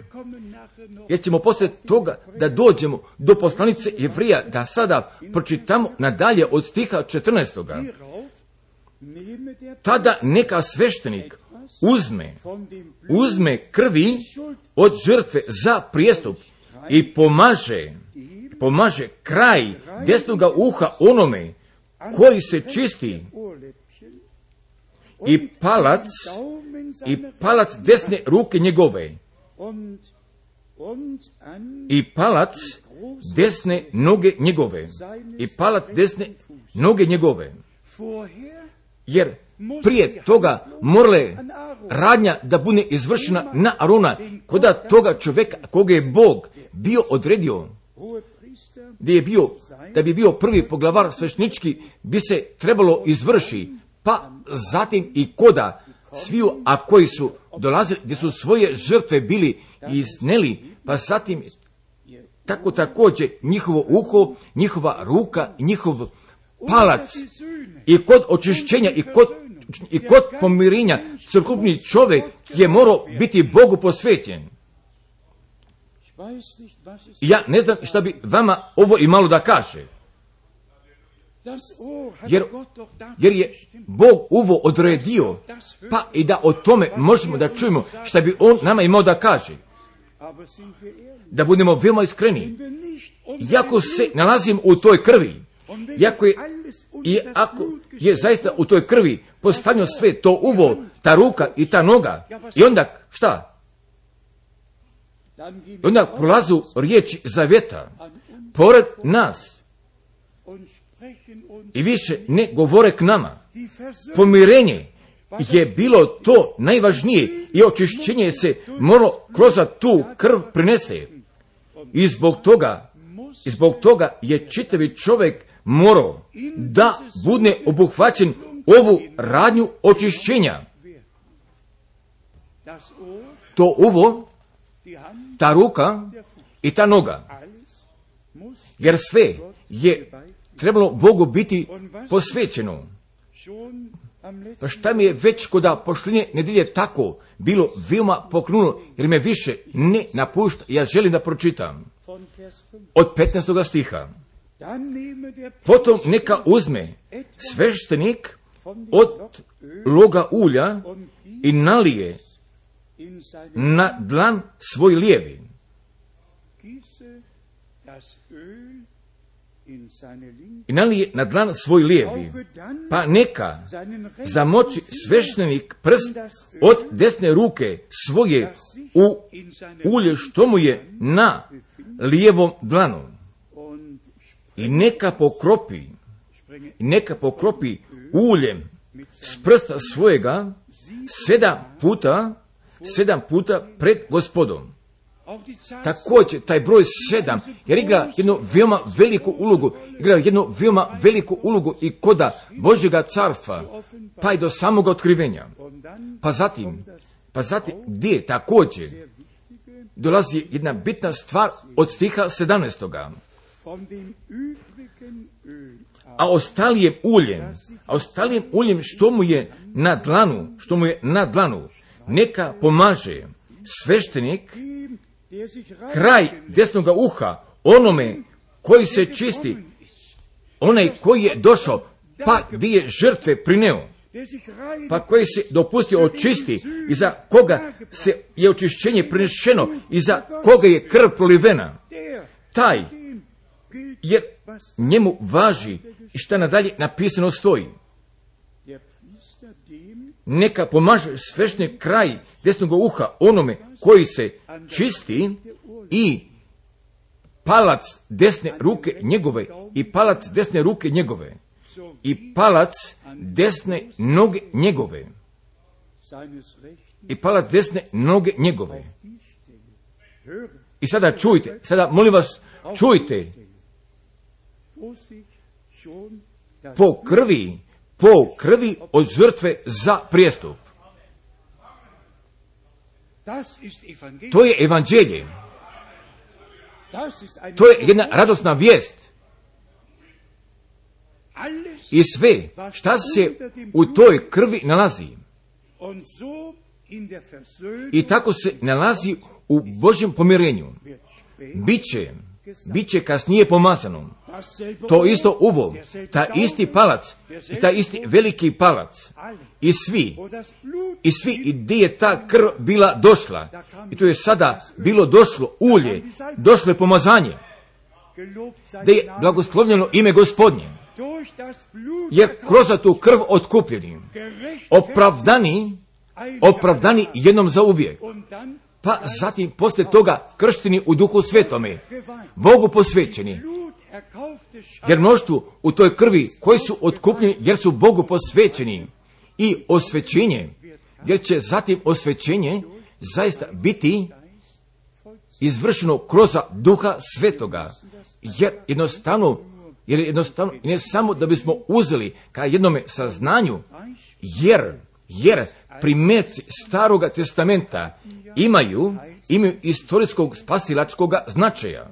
Jer ćemo poslije toga da dođemo do poslanice Jevrija, da sada pročitamo nadalje od stiha četrnaestog. Tada neka sveštenik uzme, uzme krvi od žrtve za prijestup i pomaže, pomaže kraj desnoga uha onome koji se čisti, i palac, i palac desne ruke njegove, i palac desne noge njegove, i palac desne noge njegove. Jer prije toga morale radnja da bude izvršena na Arona, koda toga čovjeka koga je Bog bio odredio, gdje je bio, da bi bio prvi poglavar sveštenički, bi se trebalo izvrši, pa zatim i koda sviju, a koji su dolazili, gdje su svoje žrtve bili izneli, pa zatim tako također njihovo uho, njihova ruka, njihov palac, i kod očišćenja i kod, i kod pomirenja crkveni čovjek je morao biti Bogu posvećen. Ja ne znam šta bi vama ovo imalo da kaže. Jer, jer je Bog ovo odredio, pa i da o tome možemo da čujemo šta bi On nama imao da kaže. Da budemo veoma iskreni. Iako se nalazim u toj krvi, iako je, i ako je zaista u toj krvi postavljeno sve to uvo, ta ruka i ta noga, i onda šta? I onda prolazu riječi zavjeta pored nas i više ne govore k nama. Pomirenje je bilo to najvažnije i očišćenje se moralo kroz tu krv prinese. I zbog toga I zbog toga je čitavi čovjek morao da bude obuhvaćen ovu radnju očišćenja. To uvo, ta ruka i ta noga. Jer sve je trebalo Bogu biti posvećeno. Pa šta mi je već koda pošlinje nedjelje tako bilo veoma poknulo, jer me više ne napušta, ja želim da pročitam. Od petnaestog stiha. Potom neka uzme sveštenik od loga ulja i nalije na dlan svoj lijevi. I nalije na dlan svoj lijevi, pa neka zamoči sveštenik prst od desne ruke svoje u ulje što mu je na lijevom dlanu. I neka pokropi, i neka pokropi uljem s prsta svojega sedam puta, sedam puta pred Gospodom. Također taj broj sedam, jer igra jednu veoma veliku ulogu, igra jednu veoma veliku ulogu i koda Božjega carstva, pa i do samoga otkrivenja. Pa zatim, pa zatim gdje također dolazi jedna bitna stvar od stiha sedamnaestoga. A ostalijem uljem, a ostalijem uljem što mu je na dlanu, što mu je na dlanu, neka pomaže sveštenik kraj desnoga uha onome koji se čisti, onaj koji je došao, pa gdje je žrtve prineo, pa koji se dopustio očisti i za koga se je očišćenje prinešeno i za koga je krv prolivena, taj, jer njemu važi i šta nadalje napisano stoji. Neka pomaže sveštenik kraj desnog uha onome koji se čisti i palac desne ruke njegove i palac desne ruke njegove i palac desne noge njegove i palac desne noge njegove. I sada čujte, sada molim vas čujte, po krvi, po krvi od žrtve za prijestup. To je evanđelje. To je jedna radosna vijest. I sve šta se u toj krvi nalazi. I tako se nalazi u Božjem pomirenju. Biće, biće kasnije pomazano. To isto uvo, ta isti palac i ta isti veliki palac i svi, i svi i gdje je ta krv bila došla i to je sada bilo došlo ulje, došlo je pomazanje, da je blagoslovljeno ime Gospodnje, jer kroz tu krv otkupljeni, opravdani, opravdani jednom za uvijek, pa zatim poslije toga kršteni u Duhu Svetome, Bogu posvećeni, jer mnoštvu u toj krvi koji su otkupljeni jer su Bogu posvećeni i osvećenje, jer će zatim osvećenje zaista biti izvršeno kroz Duha Svetoga, jer jednostavno, jer jednostavno ne samo da bismo uzeli ka jednome saznanju, jer, jer primjerci Staroga testamenta imaju, imaju istorijskog spasilačkog značaja.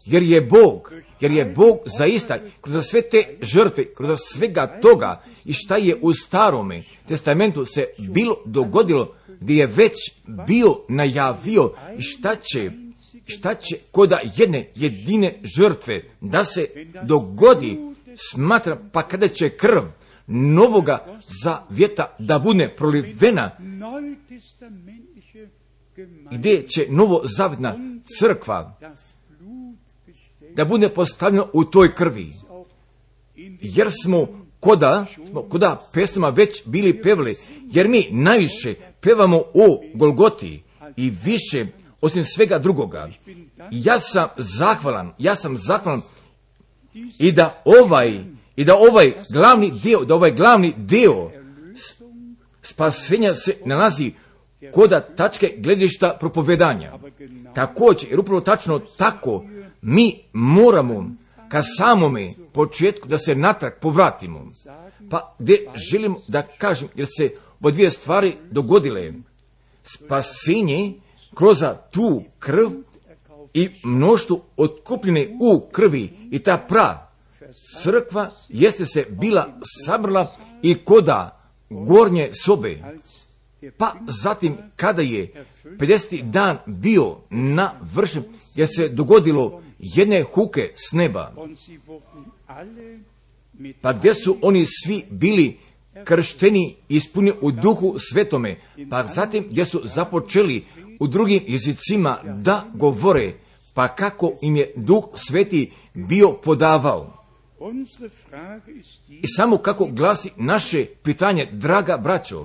Jer je Bog, jer je Bog zaista kroz sve te žrtve, kroz svega toga i šta je u Starome testamentu se bilo dogodilo, gdje je već bio najavio i šta će, šta će koda jedne jedine žrtve da se dogodi, smatra, pa kada će krv novoga zavjeta da bude prolivena, gdje će novozavjetna crkva da bude postavljeno u toj krvi. Jer smo koda, smo koda pesama već bili pevali, jer mi najviše pevamo o Golgoti i više osim svega drugoga. Ja sam zahvalan, ja sam zahvalan i da ovaj, i da ovaj glavni dio, da ovaj glavni dio spasenja se nalazi koda tačke gledišta propovedanja. Također, jer upravo tačno tako mi moramo ka samome početku da se natrag povratimo. Pa gdje želim da kažem, jer se po dvije stvari dogodile. Spasenje kroz tu krv i mnoštvo otkupljene u krvi i ta pra crkva jeste se bila sabrala i koda gornje sobe. Pa zatim kada je pedeseti dan bio navršen, jer se dogodilo jedne huke s neba. Pa gdje su oni svi bili kršteni i ispunjeni u duhu svetome, pa zatim gdje su započeli u drugim jezicima da govore, pa kako im je duh sveti bio podavao. I samo kako glasi naše pitanje, draga braćo,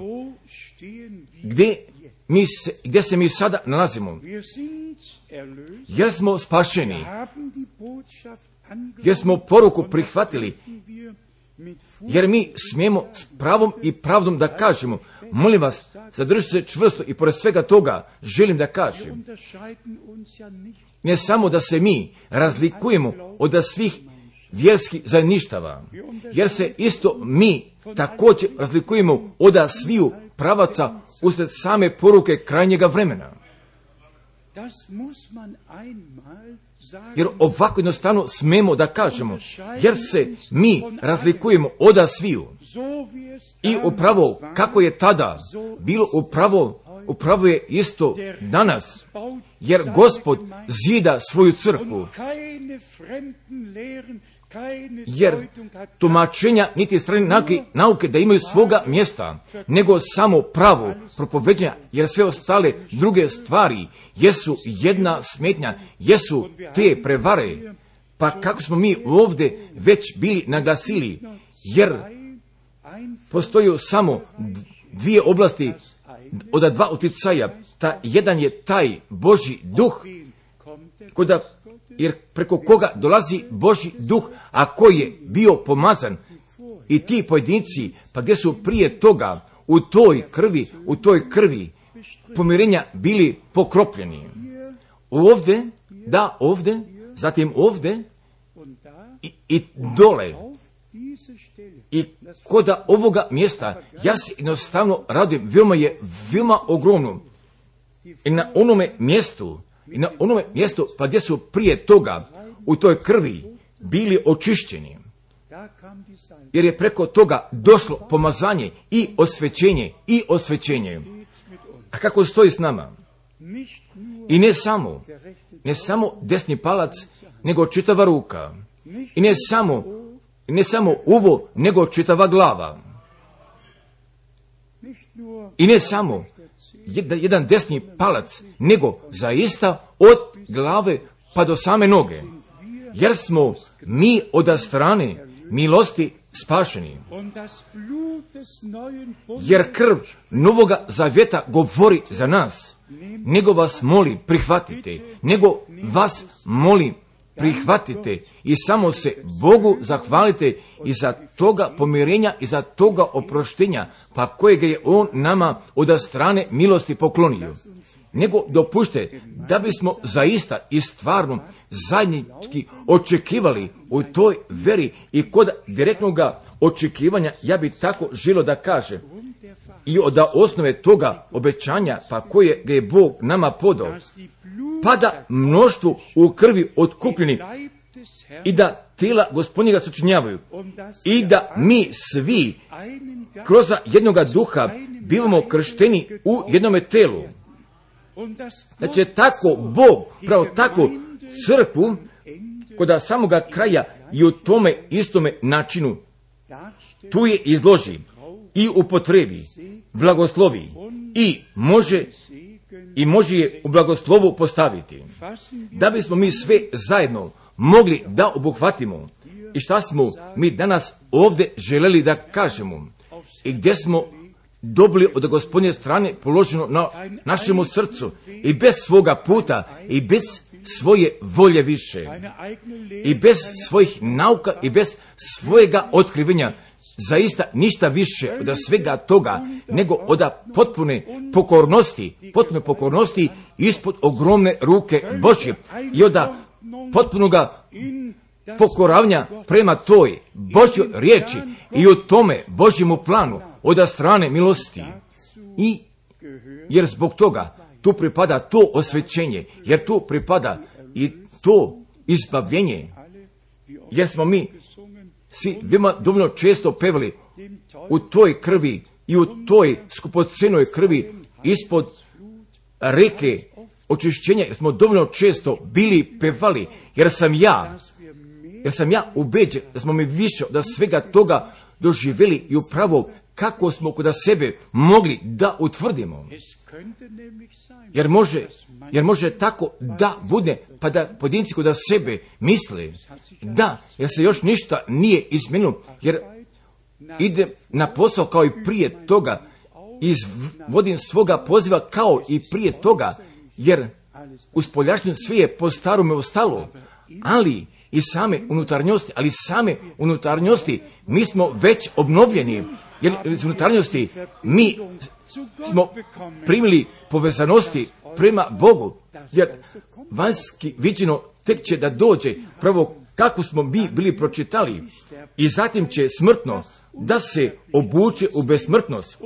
gdje, mi se, gdje se mi sada nalazimo? Jer smo spašeni, jer smo poruku prihvatili, jer mi smijemo s pravom i pravdom da kažemo, molim vas, zadržite se čvrsto i pored svega toga želim da kažem, ne samo da se mi razlikujemo od svih vjerskih zajedništava, jer se isto mi također razlikujemo od sviju pravaca usred same poruke krajnjega vremena. Jer ovako jednostavno smemo da kažemo, jer se mi razlikujemo od sviju. I upravo kako je tada bilo, upravo, upravo je isto danas, jer Gospod zida svoju crkvu. Jer tumačenja niti strane nauke, nauke da imaju svoga mjesta, nego samo pravo propoveđenja, jer sve ostale druge stvari jesu jedna smetnja, jesu te prevare. Pa kako smo mi ovdje već bili naglasili, jer postoju samo dvije oblasti od dva uticaja, ta jedan je taj Božji duh, koda, jer preko koga dolazi Božji duh, a koji je bio pomazan, i ti pojedinci, pa gdje su prije toga u toj krvi, u toj krvi pomirenja bili pokropljeni. Ovdje, da ovdje, zatim ovdje i, i dole. I koda ovoga mjesta, ja se jednostavno radujem, veoma je, veoma ogromno. I na onome mjestu, i na onome mjestu, pa gdje su prije toga u toj krvi bili očišćeni. Jer je preko toga došlo pomazanje i osvećenje, i osvećenje. A kako stoji s nama? I ne samo, ne samo desni palac, nego čitava ruka. I ne samo, ne samo uvo, nego čitava glava. I ne samo jedan, jedan desni palac, nego zaista od glave pa do same noge. Jer smo mi od strane milosti spašeni. Jer krv novoga zavjeta govori za nas. Nego vas moli prihvatite, nego vas moli prihvatite i samo se Bogu zahvalite i za toga pomirenja i za toga oproštenja, pa kojega je On nama od strane milosti poklonio. Nego dopušte da bismo zaista i stvarno zajednički očekivali u toj veri i kod direktnog očekivanja, ja bi tako želio da kažem, i od osnove toga obećanja, pa koje ga je Bog nama podao, pa da mnoštvo u krvi otkupljeni i da tijela Gospodnjega sačinjavaju i da mi svi kroz jednoga duha bivamo kršteni u jednome telu. Znači tako Bog, pravo tako crkvu kod samoga kraja i u tome istome načinu tu je izloži i upotrebi, blagoslovi i može i može je u blagoslovu postaviti. Da bismo mi sve zajedno mogli da obuhvatimo i šta smo mi danas ovdje želeli da kažemo i gdje smo dobili od Gospodnje strane položeno na našemu srcu i bez svoga puta i bez svoje volje više i bez svojih nauka i bez svojega otkrivenja, zaista ništa više od svega toga nego od potpune pokornosti, potpune pokornosti ispod ogromne ruke Božje i od potpunoga pokoravanja prema toj Božjoj riječi i u tome Božjemu planu od strane milosti. I jer zbog toga tu pripada to osvećenje, jer tu pripada i to izbavljenje, jer smo mi svi veoma dovoljno često pevali u toj krvi i u toj skupocenoj krvi ispod reke očišćenja, jer smo dovoljno često bili pevali, jer sam ja, jer sam ja ubeđen da smo mi više od svega toga doživjeli i upravo kako smo kod sebe mogli da utvrdimo. Jer može, jer može tako da bude, pa da pojedinci kod sebe misle da, jer se još ništa nije izmijenilo, jer ide na posao kao i prije toga, izvodim svoga poziva kao i prije toga, jer u spoljašnjem sve je po starome ostalo, ali i same unutarnjosti, ali same unutarnjosti mi smo već obnovljeni, jer iz unutarnjosti mi smo primili povezanosti prema Bogu, jer vanjski viđeno tek će da dođe prvo kako smo mi bili pročitali i zatim će smrtno da se obuče u besmrtnost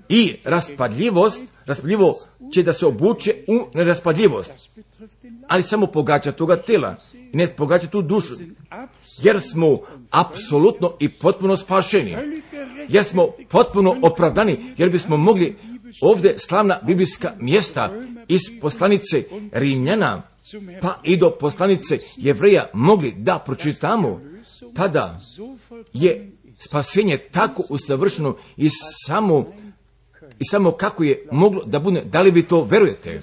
i raspadljivost, raspadljivo će da se obuče u neraspadljivost, ali samo pogađa toga tela i ne pogađa tu dušu, jer smo apsolutno i potpuno spašeni, jer smo potpuno opravdani, jer bismo mogli ovdje slavna biblijska mjesta iz poslanice Rimljana pa i do poslanice Jevreja mogli da pročitamo, pa da je spasenje tako usavršeno i samo, i samo kako je moglo da bude, da li vi to verujete?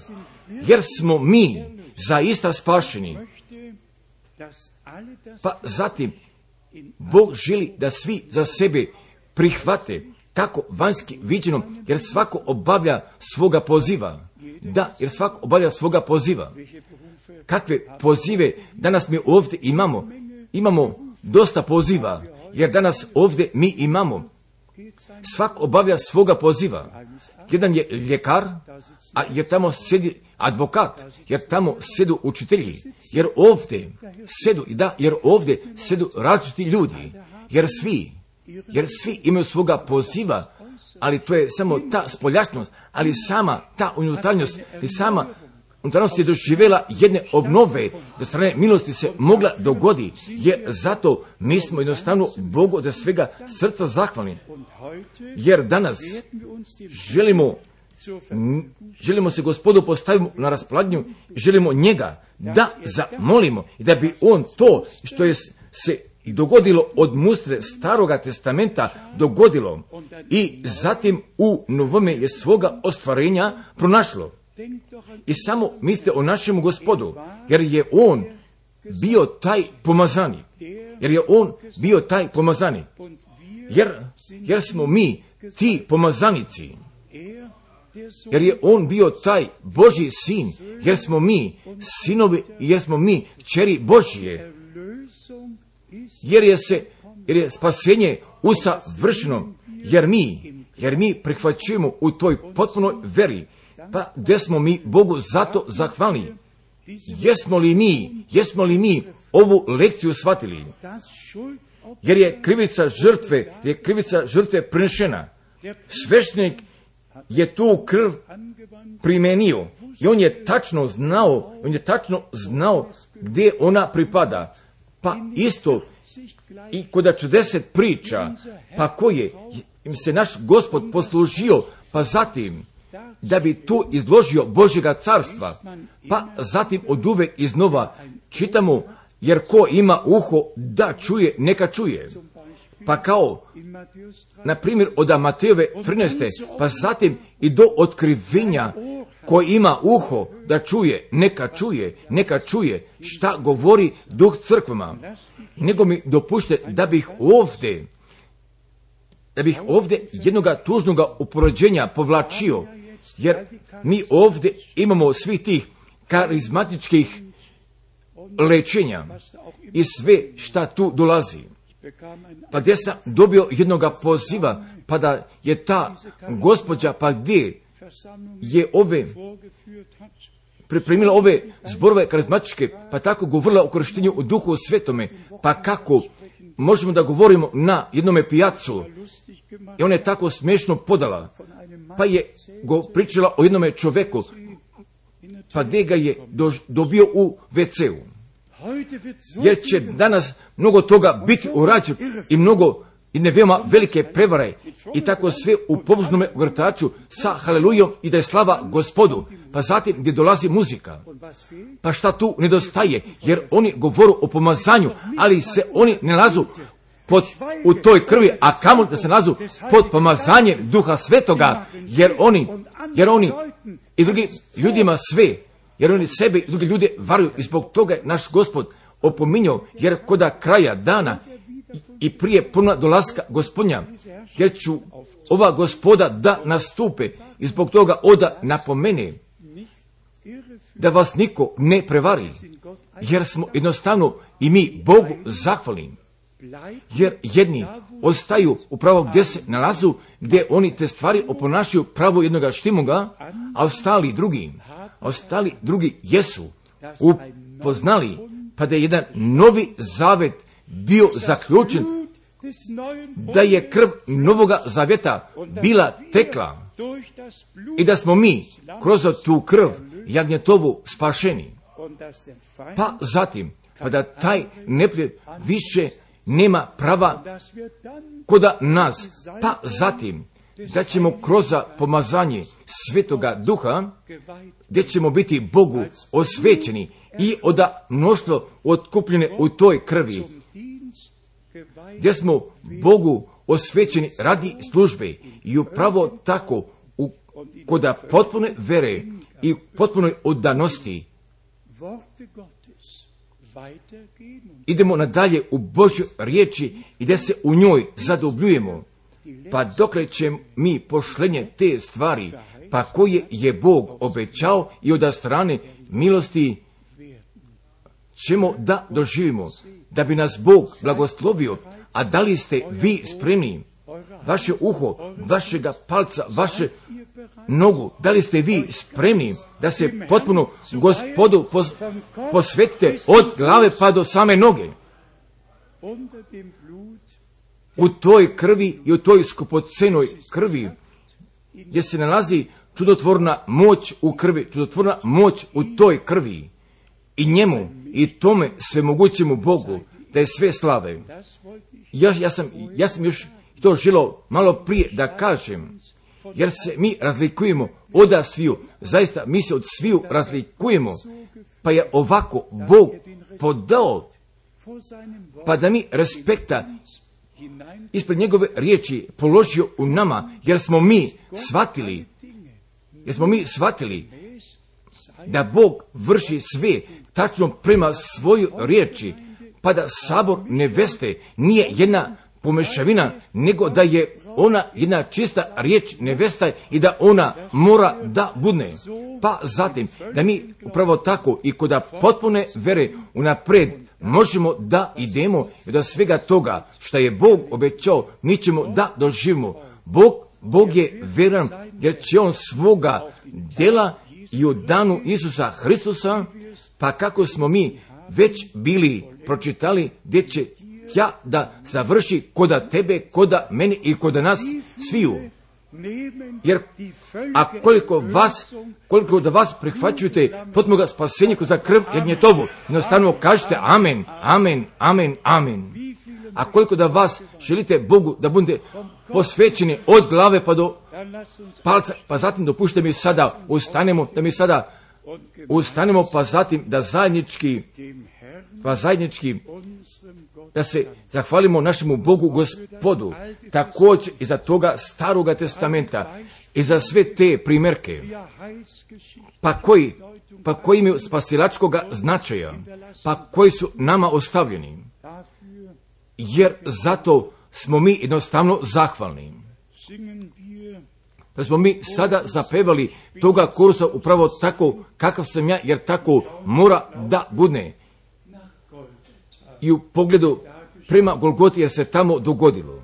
Jer smo mi zaista spašeni. Pa zatim Bog želi da svi za sebe prihvate tako vanjski viđeno, jer svako obavlja svoga poziva. Da, jer svako obavlja svoga poziva. Kakve pozive danas mi ovdje imamo? Imamo dosta poziva, jer danas ovdje mi imamo. Svako obavlja svoga poziva. Jedan je ljekar, a jer tamo sedi advokat, jer tamo sedu učitelji, jer ovdje sedu, da, jer ovdje sedu različiti ljudi, jer svi, jer svi imaju svoga poziva, ali to je samo ta spoljašnost, ali sama ta unutarnjost, i sama unutarnjost je doživjela jedne obnove, da strane milosti se mogla dogodi, jer zato mi smo jednostavno Bogu od svega srca zahvalni, jer danas želimo Želimo se Gospodu postaviti na raspolaganju, želimo njega da zamolimo i da bi on to što je se dogodilo od mustre Staroga testamenta dogodilo i zatim u novome je svoga ostvarenja pronašlo. I samo mislite o našemu Gospodu, jer je on bio taj pomazani, jer je on bio taj pomazani, jer, jer smo mi ti pomazanici. Jer je on bio taj Božji sin, jer smo mi sinovi, jer smo mi kćeri Božje, jer je se, jer je spasenje usavršeno, jer mi, jer mi prihvaćujemo u toj potpunoj veri, pa gdje smo mi Bogu zato zahvalni? Jesmo li mi, jesmo li mi ovu lekciju shvatili? Jer je krivica žrtve, je krivica žrtve prinešena. Sveštenik je tu krv primenio i on je tačno znao, on je tačno znao gdje ona pripada. Pa isto i kod čudeset priča, pa koje im se naš Gospod poslužio, pa zatim da bi tu izložio Božjega carstva, pa zatim od uvek iznova čitamo, jer ko ima uho da čuje, neka čuje. Pa kao, na primjer, od Matejove trinaeste, pa zatim i do otkrivenja, ko ima uho da čuje, neka čuje, neka čuje šta govori Duh crkvama. Nego mi dopušte da bih ovdje, da bih ovdje jednoga tužnoga upoređenja povlačio, jer mi ovdje imamo svih tih karizmatičkih lečenja i sve šta tu dolazi. Pa gdje sam dobio jednoga poziva, pa da je ta gospođa, pa gdje je ove, pripremila ove zborove karizmatičke, pa tako govorila o korištenju u Duhu Svetome, pa kako možemo da govorimo na jednome pijacu. I ona je tako smiješno podala, pa je go pričala o jednome čoveku, pa gdje ga je do, dobio u ve ce u. Jer će danas mnogo toga biti urađeno i mnogo i ne veoma velike prevare i tako sve u pobožnome ogrtaču sa halelujom i da je slava Gospodu. Pa zatim gdje dolazi muzika. Pa šta tu nedostaje? Jer oni govoru o pomazanju, ali se oni ne nalazu pod, u toj krvi, a kamo da se nalazu pod pomazanjem Duha Svetoga, jer oni, jer oni i drugi ljudima sve, jer oni sebe i drugi ljude varuju i zbog toga je naš Gospod opominjao, jer koda kraja dana i prije ponovna dolaska Gospodnja, jer ću ova Gospoda da nastupe i zbog toga oda napomene da vas niko ne prevari, jer smo jednostavno i mi Bogu zahvalni, jer jedni ostaju upravo gdje se nalazu, gdje oni te stvari oponašaju pravo jednoga štimuga, a ostali drugi, a ostali drugi jesu upoznali, pa da je jedan novi zavet bio zaključen, da je krv novoga zavjeta bila tekla i da smo mi kroz tu krv jagnjetovu spašeni. Pa zatim, pa da taj neprijatelj više nema prava koda nas, pa zatim da ćemo kroz pomazanje Svetoga Duha, gdje ćemo biti Bogu osvećeni i oda mnoštvo otkupljene u toj krvi, gdje smo Bogu osvećeni radi službe i upravo tako u, koda potpune vere i potpunoj oddanosti idemo nadalje u Božju riječi i da se u njoj zadobljujemo, pa dokle će mi pošlenje te stvari, pa koje je Bog obećao i od strane milosti ćemo da doživimo, da bi nas Bog blagoslovio. A da li ste vi spremni? Vaše uho, vašega palca, vaše nogu, da li ste vi spremni da se potpuno Gospodu pos, posvetite od glave pa do same noge? U toj krvi i u toj skupocenoj krvi, gdje se nalazi čudotvorna moć u krvi, čudotvorna moć u toj krvi i njemu i tome svemogućemu Bogu, da je sve slave. Ja, ja, sam, ja sam još to želio malo prije da kažem, jer se mi razlikujemo od sviju, zaista mi se od sviju razlikujemo, pa je ovako Bog podao, pa da mi respekta ispred njegove riječi položio u nama, jer smo mi shvatili, jer smo mi shvatili da Bog vrši sve tačno prema svojoj riječi, pa da sabor neveste nije jedna pomešavina, nego da je ona jedna čista riječ nevesta i da ona mora da budne. Pa zatim, da mi upravo tako i kod potpune vere unapred možemo da idemo i da svega toga što je Bog obećao, mi ćemo da doživimo. Bog, Bog je vjeran, jer će on svoga djela i u danu Isusa Hristusa, pa kako smo mi već bili pročitali, gdje će ja da završi koda tebe, koda mene i koda nas sviju. Jer a koliko vas, koliko da vas prihvaćujete potmoga spasenja za krv jagnjetovu, jednostavno kažete amen, amen, amen, amen. A koliko da vas želite Bogu da budete posvećeni od glave pa do palca, pa zatim dopušte mi sada ustanemo, da mi sada ustanemo, pa zatim da zajednički, pa zajednički da se zahvalimo našemu Bogu Gospodu, također i za toga Staroga testamenta i za sve te primjerke, pa koji, pa koji imaju spasilačkoga značaja, pa koji su nama ostavljeni, jer zato smo mi jednostavno zahvalni. Pa smo mi sada zapevali toga kursa upravo tako kakav sam ja, jer tako mora da budne. I u pogledu prema Golgoti, jer se tamo dogodilo.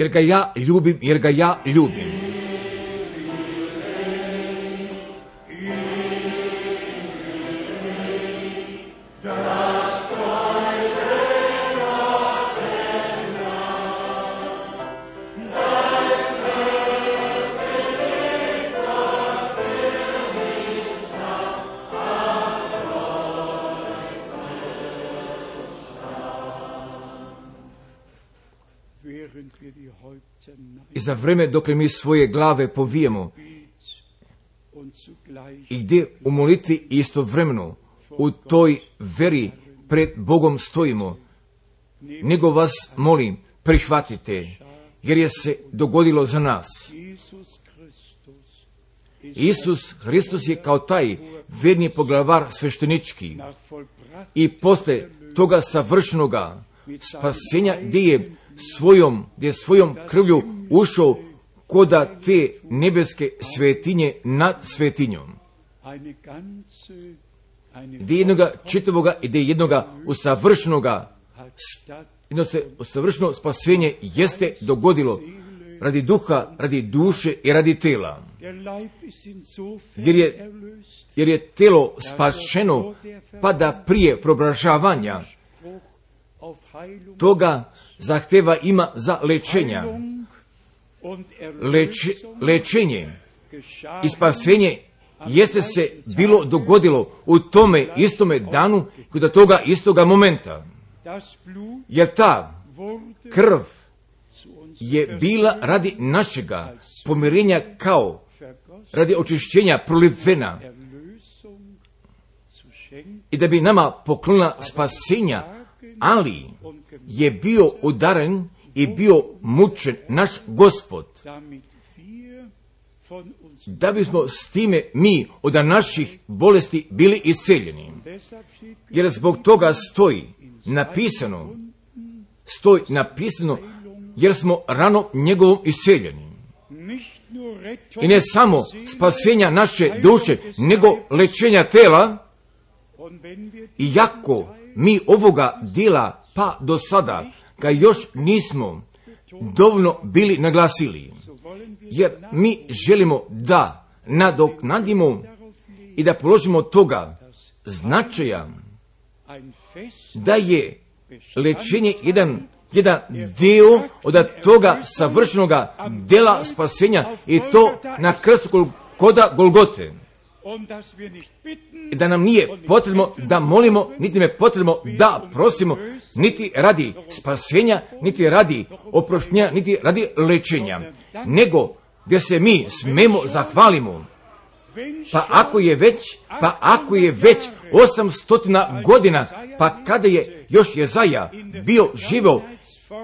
jer ga ja ljubim, jer ga ja ljubim. I za vreme dokle mi svoje glave povijemo i gdje u molitvi istovremeno u toj veri pred Bogom stojimo, nego vas molim, prihvatite, jer je se dogodilo za nas. Isus Hristos je kao taj verni poglavar sveštenički i posle toga savršenoga spasenja gdje je svojom, gdje je svojom krvlju ušao koda te nebeske svetinje nad svetinjom. Gdje jednoga čitavoga i gdje jednoga usavršenoga, jedno se usavršeno spasenje jeste dogodilo radi duha, radi duše i radi tela. Jer je, jer je telo spašeno pa da prije preobražavanja toga zahteva ima za lečenja. Leč, lečenje i spasenje jeste se bilo dogodilo u tome istome danu kod toga istoga momenta. Jer ta krv je bila radi našega pomirenja kao radi očišćenja prolivena i da bi nama poklonila spasenja, ali je bio udaren i bio mučen naš Gospod, da bismo s time mi od naših bolesti bili isceljeni. Jer zbog toga stoji napisano, stoji napisano, jer smo rano njegovom isceljeni. I ne samo spasenja naše duše, nego lečenja tela, iako mi ovoga djela pa do sada ga još nismo dovoljno bili naglasili, jer mi želimo da nadoknadimo i da položimo toga značaja da je lečenje jedan, jedan dio od toga savršenoga djela spasenja i to na krstu koda Golgote. I da nam nije potrebno da molimo, niti me potrebno da prosimo, niti radi spasenja, niti radi oproštenja, niti radi lečenja, nego gdje se mi smemo zahvalimo. Pa ako je već, pa ako je već osamstotina godina, pa kada je još Jezaja bio živio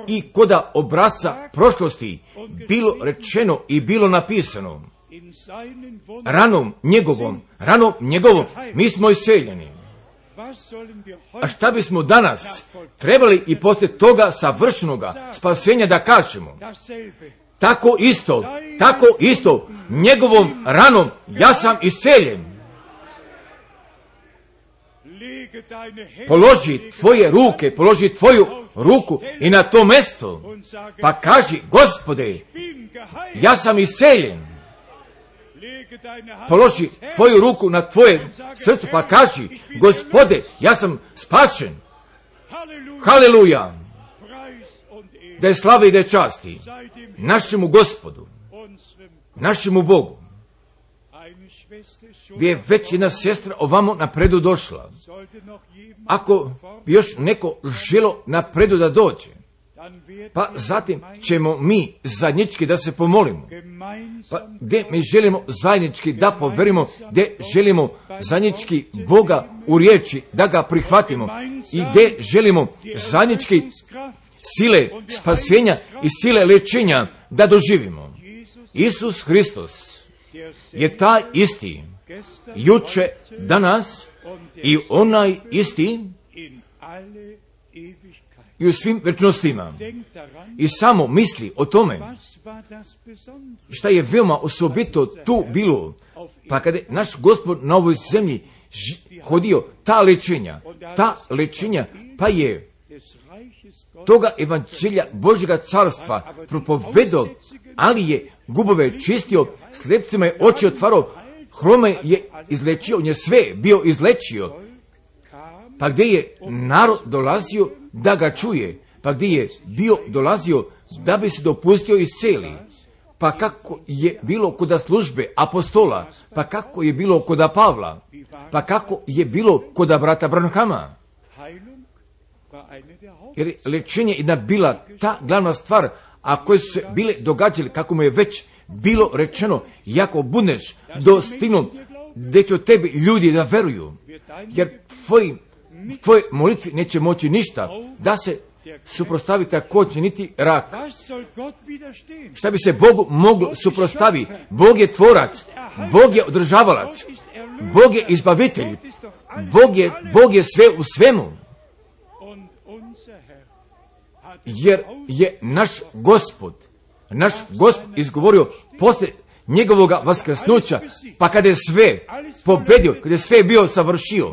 i koda obrazca prošlosti bilo rečeno i bilo napisano, ranom njegovom, ranom njegovom, mi smo isceljeni. A šta bismo danas trebali i poslije toga savršenoga spasenja da kažemo? Tako isto, tako isto, njegovom ranom ja sam isceljen. Položi tvoje ruke, položi tvoju ruku i na to mjesto, pa kaži, Gospode, ja sam isceljen. Položi tvoju ruku na tvoje srce, pa kaži, Gospode, ja sam spašen. Haleluja! Da je slave i da je časti našemu Gospodu, našemu Bogu. Gdje je već jedna sestra ovamo napredu došla. Ako bi još neko želo napredu da dođe, pa zatim ćemo mi zajednički da se pomolimo. Pa gdje mi želimo zajednički da poverimo, gdje želimo zajednički Boga u riječi da ga prihvatimo i gdje želimo zajednički sile spasenja i sile lečenja da doživimo. Isus Hristos je taj isti juče, danas i onaj isti i u svim večnostima. I samo misli o tome šta je veoma osobito tu bilo, pa kada je naš Gospod na ovoj zemlji hodio ta lečenja, ta lečenja, pa je toga evanđelja Božjega carstva propovedo, ali je gubove čistio, slepcima je oči otvarao, hrome je izlečio, on je sve bio izlečio. Pa gdje je narod dolazio da ga čuje, pa gdje je bio dolazio da bi se dopustio isceli. Pa kako je bilo kod službe apostola, pa kako je bilo kod Pavla, pa kako je bilo kod brata Branhama. Jer lečenje je bila ta glavna stvar, a koje su se bile događale, kako mu je već bilo rečeno, jako budeš dostignu, gdje će tebi ljudi da veruju, jer tvoji, tvoje molitvi neće moći ništa, da se suprostavi također niti rak. Šta bi se Bogu moglo suprostaviti? Bog je tvorac, Bog je održavalac, Bog je izbavitelj, Bog je, Bog je sve u svemu. Jer je naš Gospod, naš Gospod izgovorio poslije njegovoga vaskrsnuća, pa kada je sve pobedio, kada je sve bio savršio,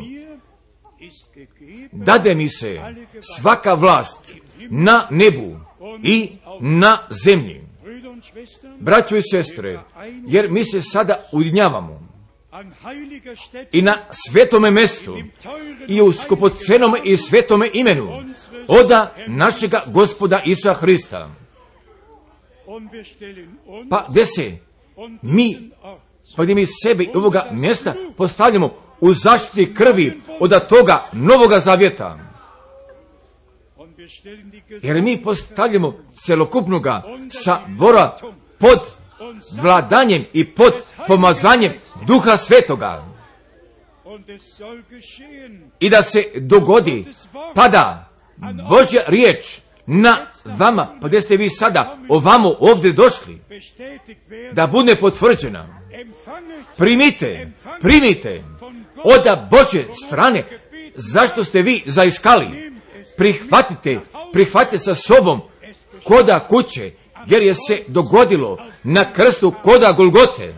dade mi se svaka vlast na nebu i na zemlji. Braćo i sestre, jer mi se sada ujedinjavamo i na svetome mestu i u skupocenome i svetome imenu oda našega Gospoda Isusa Hrista. Pa gdje se mi, pa gdje mi sebe i ovoga mjesta postavljamo u zaštiti krvi od toga novoga zavjeta. Jer mi postavljamo celokupnoga sabora pod vladanjem i pod pomazanjem Duha Svetoga. I da se dogodi, pada Božja riječ na vama, pa gdje ste vi sada ovamo ovdje došli, da bude potvrđena. Primite, primite od Božje strane, zašto ste vi zaiskali. Prihvatite, prihvatite sa sobom koda kuće, jer je se dogodilo na krstu koda Golgote.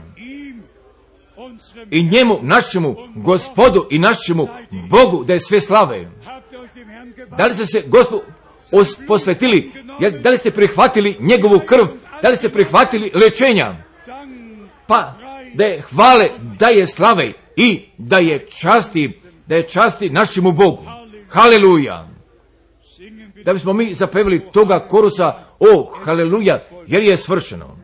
I njemu, našemu Gospodu i našemu Bogu da je sve slave. Da li ste se Gospodu posvetili, da li ste prihvatili njegovu krv, da li ste prihvatili lečenja? Pa da je hvale, da je slave i da je časti, da je časti našemu Bogu. Haleluja! Da bismo mi zapevili toga korusa, o, haleluja, jer je svršeno.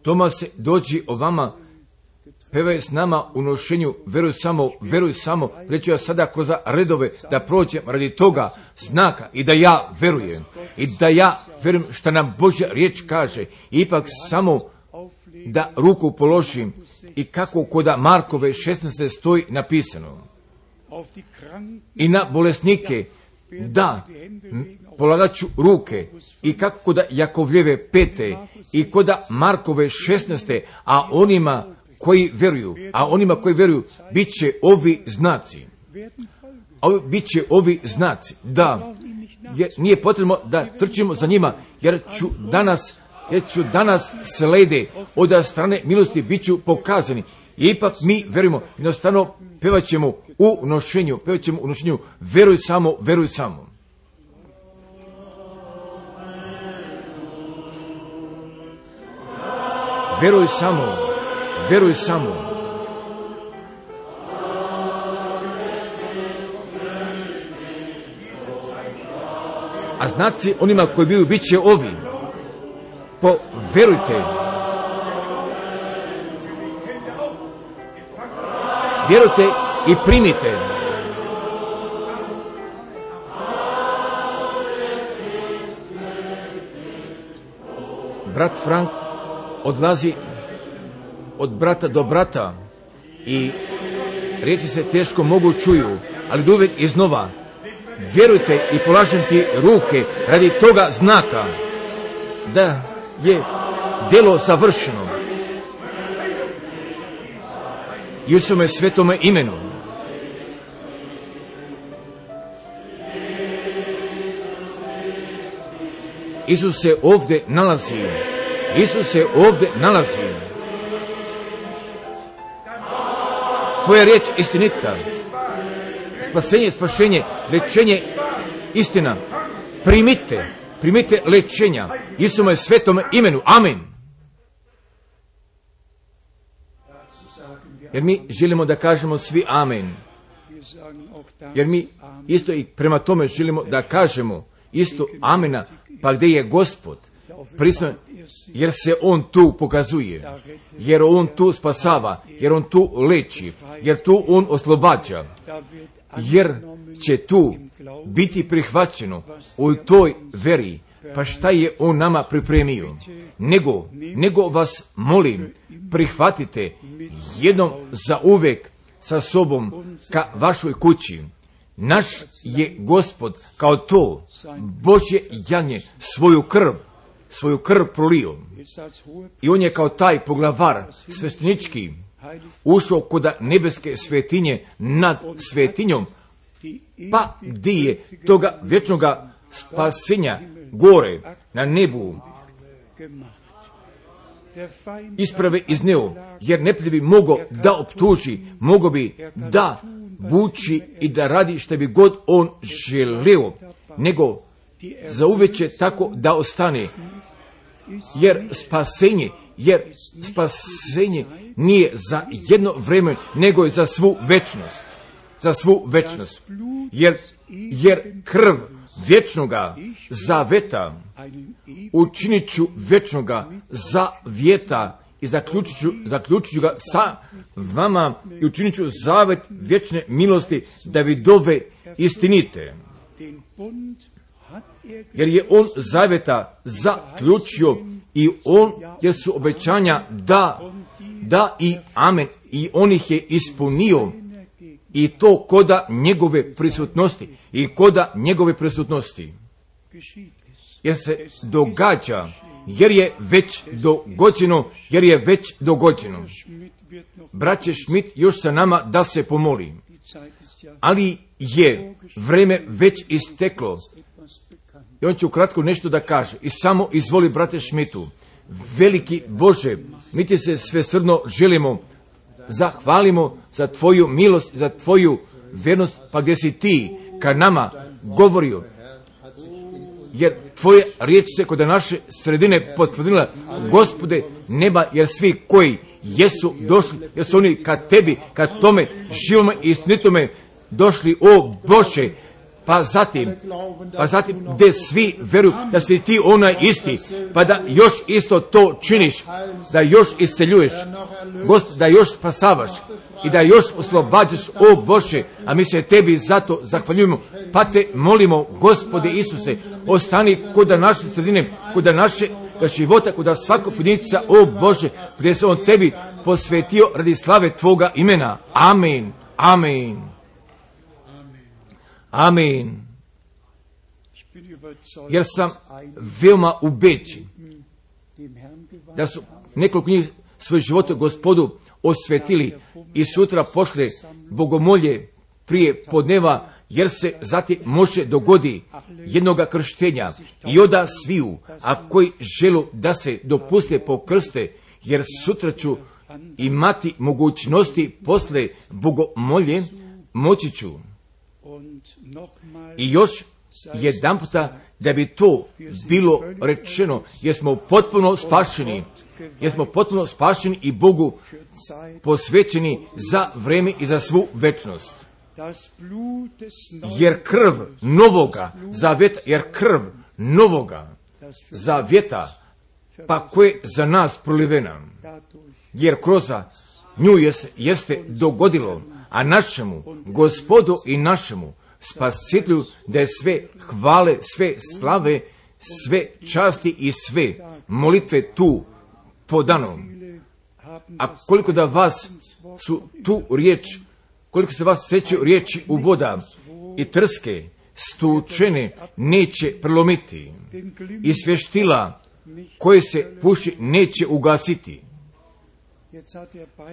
Tomase, dođi ovama, pevaj s nama u nošenju, veruj samo, veruj samo, reću ja sada kroz redove da prođem radi toga znaka i da ja verujem. I da ja verujem što nam Božja riječ kaže. Ipak samo da ruku položim i kako kod Markove šesnaeste stoji napisano. I na bolesnike da polagat ću ruke i kako kod Jakovljeve pete i kod Markove šesnaeste, a onima koji veruju, a onima koji veruju bit će ovi znaci. Ovi, bit će ovi znaci. Da, jer nije potrebno da trčimo za njima, jer ću danas, jer ću danas slede od strane milosti bit ću pokazani. I ipak mi verujemo, jednostavno pevat ćemo u nošenju, pevat ćemo u nošenju, veruj samo, veruj samo. Veruj samo, veruj samo. A znaci onima koji biju bit će ovi. Poverujte. Vjerujte i primite. brat Frank odlazi od brata do brata i riječi se teško mogu čuju, ali uvijek iznova vjerujte i polažem ti ruke radi toga znaka da je djelo savršeno i u svome svetome imenu. Isus se ovdje nalazi. Isus se ovdje nalazi. Tvoja riječ istinita. Spasenje, spašenje, lečenje, istina. Primite, primite lečenja. Isuse svetom imenu. Amen. Jer mi želimo da kažemo svi amen. Jer mi isto i prema tome želimo da kažemo isto amena. Pa gdje je Gospod prisutan, jer se on tu pokazuje, jer on tu spasava, jer on tu leči, jer tu on oslobađa, jer će tu biti prihvaćeno u toj veri. Pa šta je on nama pripremio? Nego, nego vas molim, prihvatite jednom za uvek sa sobom ka vašoj kući. Naš je Gospod kao to Božje janje svoju krv, svoju krv prolio. I on je kao taj poglavar sveštenički ušao kod nebeske svetinje nad svetinjom, pa gdje je toga vječnoga spasenja gore na nebu isprave izneo, jer neprijatelj bi mogao da optuži, mogao bi da buči i da radi što bi god on želeo, nego zauvijek će tako da ostane, jer spasenje, jer spasenje nije za jedno vrijeme, nego je za svu večnost, za svu večnost, jer, jer krv vječnoga zaveta učinit ću vječnoga zavjeta i zaključit ću, zaključit ću ga sa vama i učinit ću zavet vječne milosti da vi dove istinite. Jer je on zaveta zaključio i on, jer su obećanja da, da i amen, i on ih je ispunio, i to koda njegove prisutnosti, i koda njegove prisutnosti. Jer se događa, jer je već dogođeno, jer je već dogođeno. Braće Schmidt još sa nama da se pomoli, ali je vrijeme već isteklo. I on će ukratko nešto da kaže. I samo izvoli, brate Schmidtu. Veliki Bože, mi ti se svesrdno želimo, zahvalimo za tvoju milost, za tvoju vjernost, pa gdje si ti ka nama govorio. Jer tvoja riječ se kod naše sredine potvrdila, Gospode neba, jer svi koji jesu došli, jer su oni ka tebi, ka tome živome i istinitome došli, o Bože, pa zatim, pa zatim gdje svi veruju da si ti onaj isti, pa da još isto to činiš, da još isceljuješ, Gospod, da još spasavaš i da još oslobađaš, o Bože, a mi se tebi zato zahvaljujemo, pa te molimo, Gospode Isuse, ostani kod naše sredine, kod naše života, kod svakog pojedinca, o Bože, gdje se on tebi posvetio radi slave tvoga imena. Amen. Amen. Amen. Jer sam veoma ubeđen da su nekoliko njih svoje živote Gospodu osvetili i sutra pošle bogomolje prije podneva, jer se zatim može dogodi jednoga krštenja i oda sviju, a koji želu da se dopuste pokrste, jer sutra ću imati mogućnosti posle bogomolje, moći ću. I još jedan puta da bi to bilo rečeno, jer smo potpuno spašeni, jer smo potpuno spašeni i Bogu posvećeni za vrijeme i za svu večnost. Jer krv novoga zavjeta, jer krv novoga zavjeta, pa koje za nas prolivena, jer kroz nju jest, jeste dogodilo, a našemu Gospodu i našemu Spasitelju da je sve hvale, sve slave, sve časti i sve molitve tu podano. A koliko da vas su tu riječ, koliko se vas sjećaju riječi u voda i trske, stučene neće prelomiti i svještila koje se puši neće ugasiti.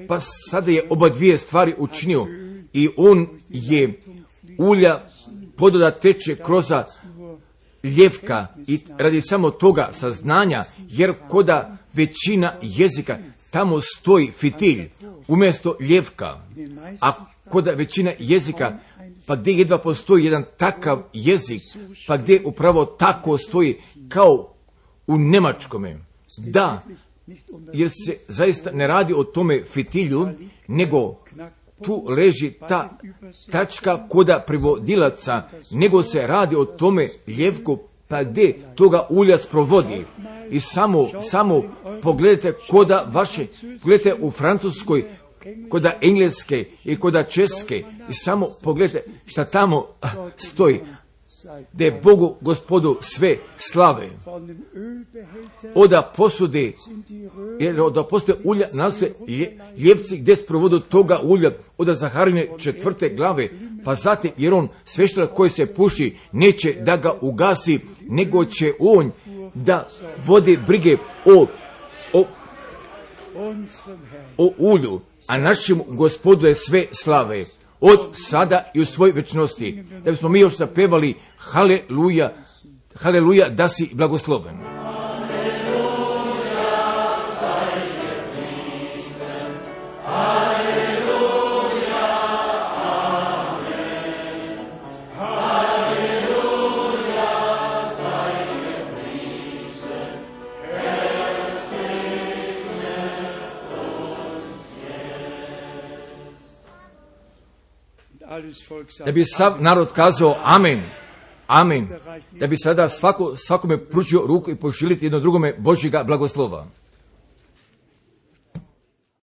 Pa sada je oba dvije stvari učinio i on je ulja pododa teče kroz ljevka i radi samo toga saznanja, jer koda većina jezika tamo stoji fitilj umjesto ljevka, a koda većina jezika pa gdje jedva postoji jedan takav jezik, pa gdje upravo tako stoji kao u njemačkome. Da, jer se zaista ne radi o tome fitilju, nego tu leži ta tačka koda prevodilaca, nego se radi o tome ljevku, pa gdje toga ulja sprovodi. I samo, samo pogledajte koda vaše, pogledajte u Francuskoj, koda engleske i koda česke, i samo pogledajte šta tamo stoji, da je Bogu Gospodu sve slave. Oda posude, jer oda posude ulja nose ljevci gdje sprovodu toga ulja, oda Zaharine četvrte glave, pa zatim jer on sveštar koji se puši neće da ga ugasi, nego će on da vodi brige o, o, o ulju, a našem Gospodu je sve slave. Od sada i u svoj večnosti, da bismo mi još zapevali haleluja, haleluja da si blagosloven. Da bi sav narod kazao amen, amen, da bi sada svako, svakome pručio ruku i poželiti jedno drugome Božjega blagoslova.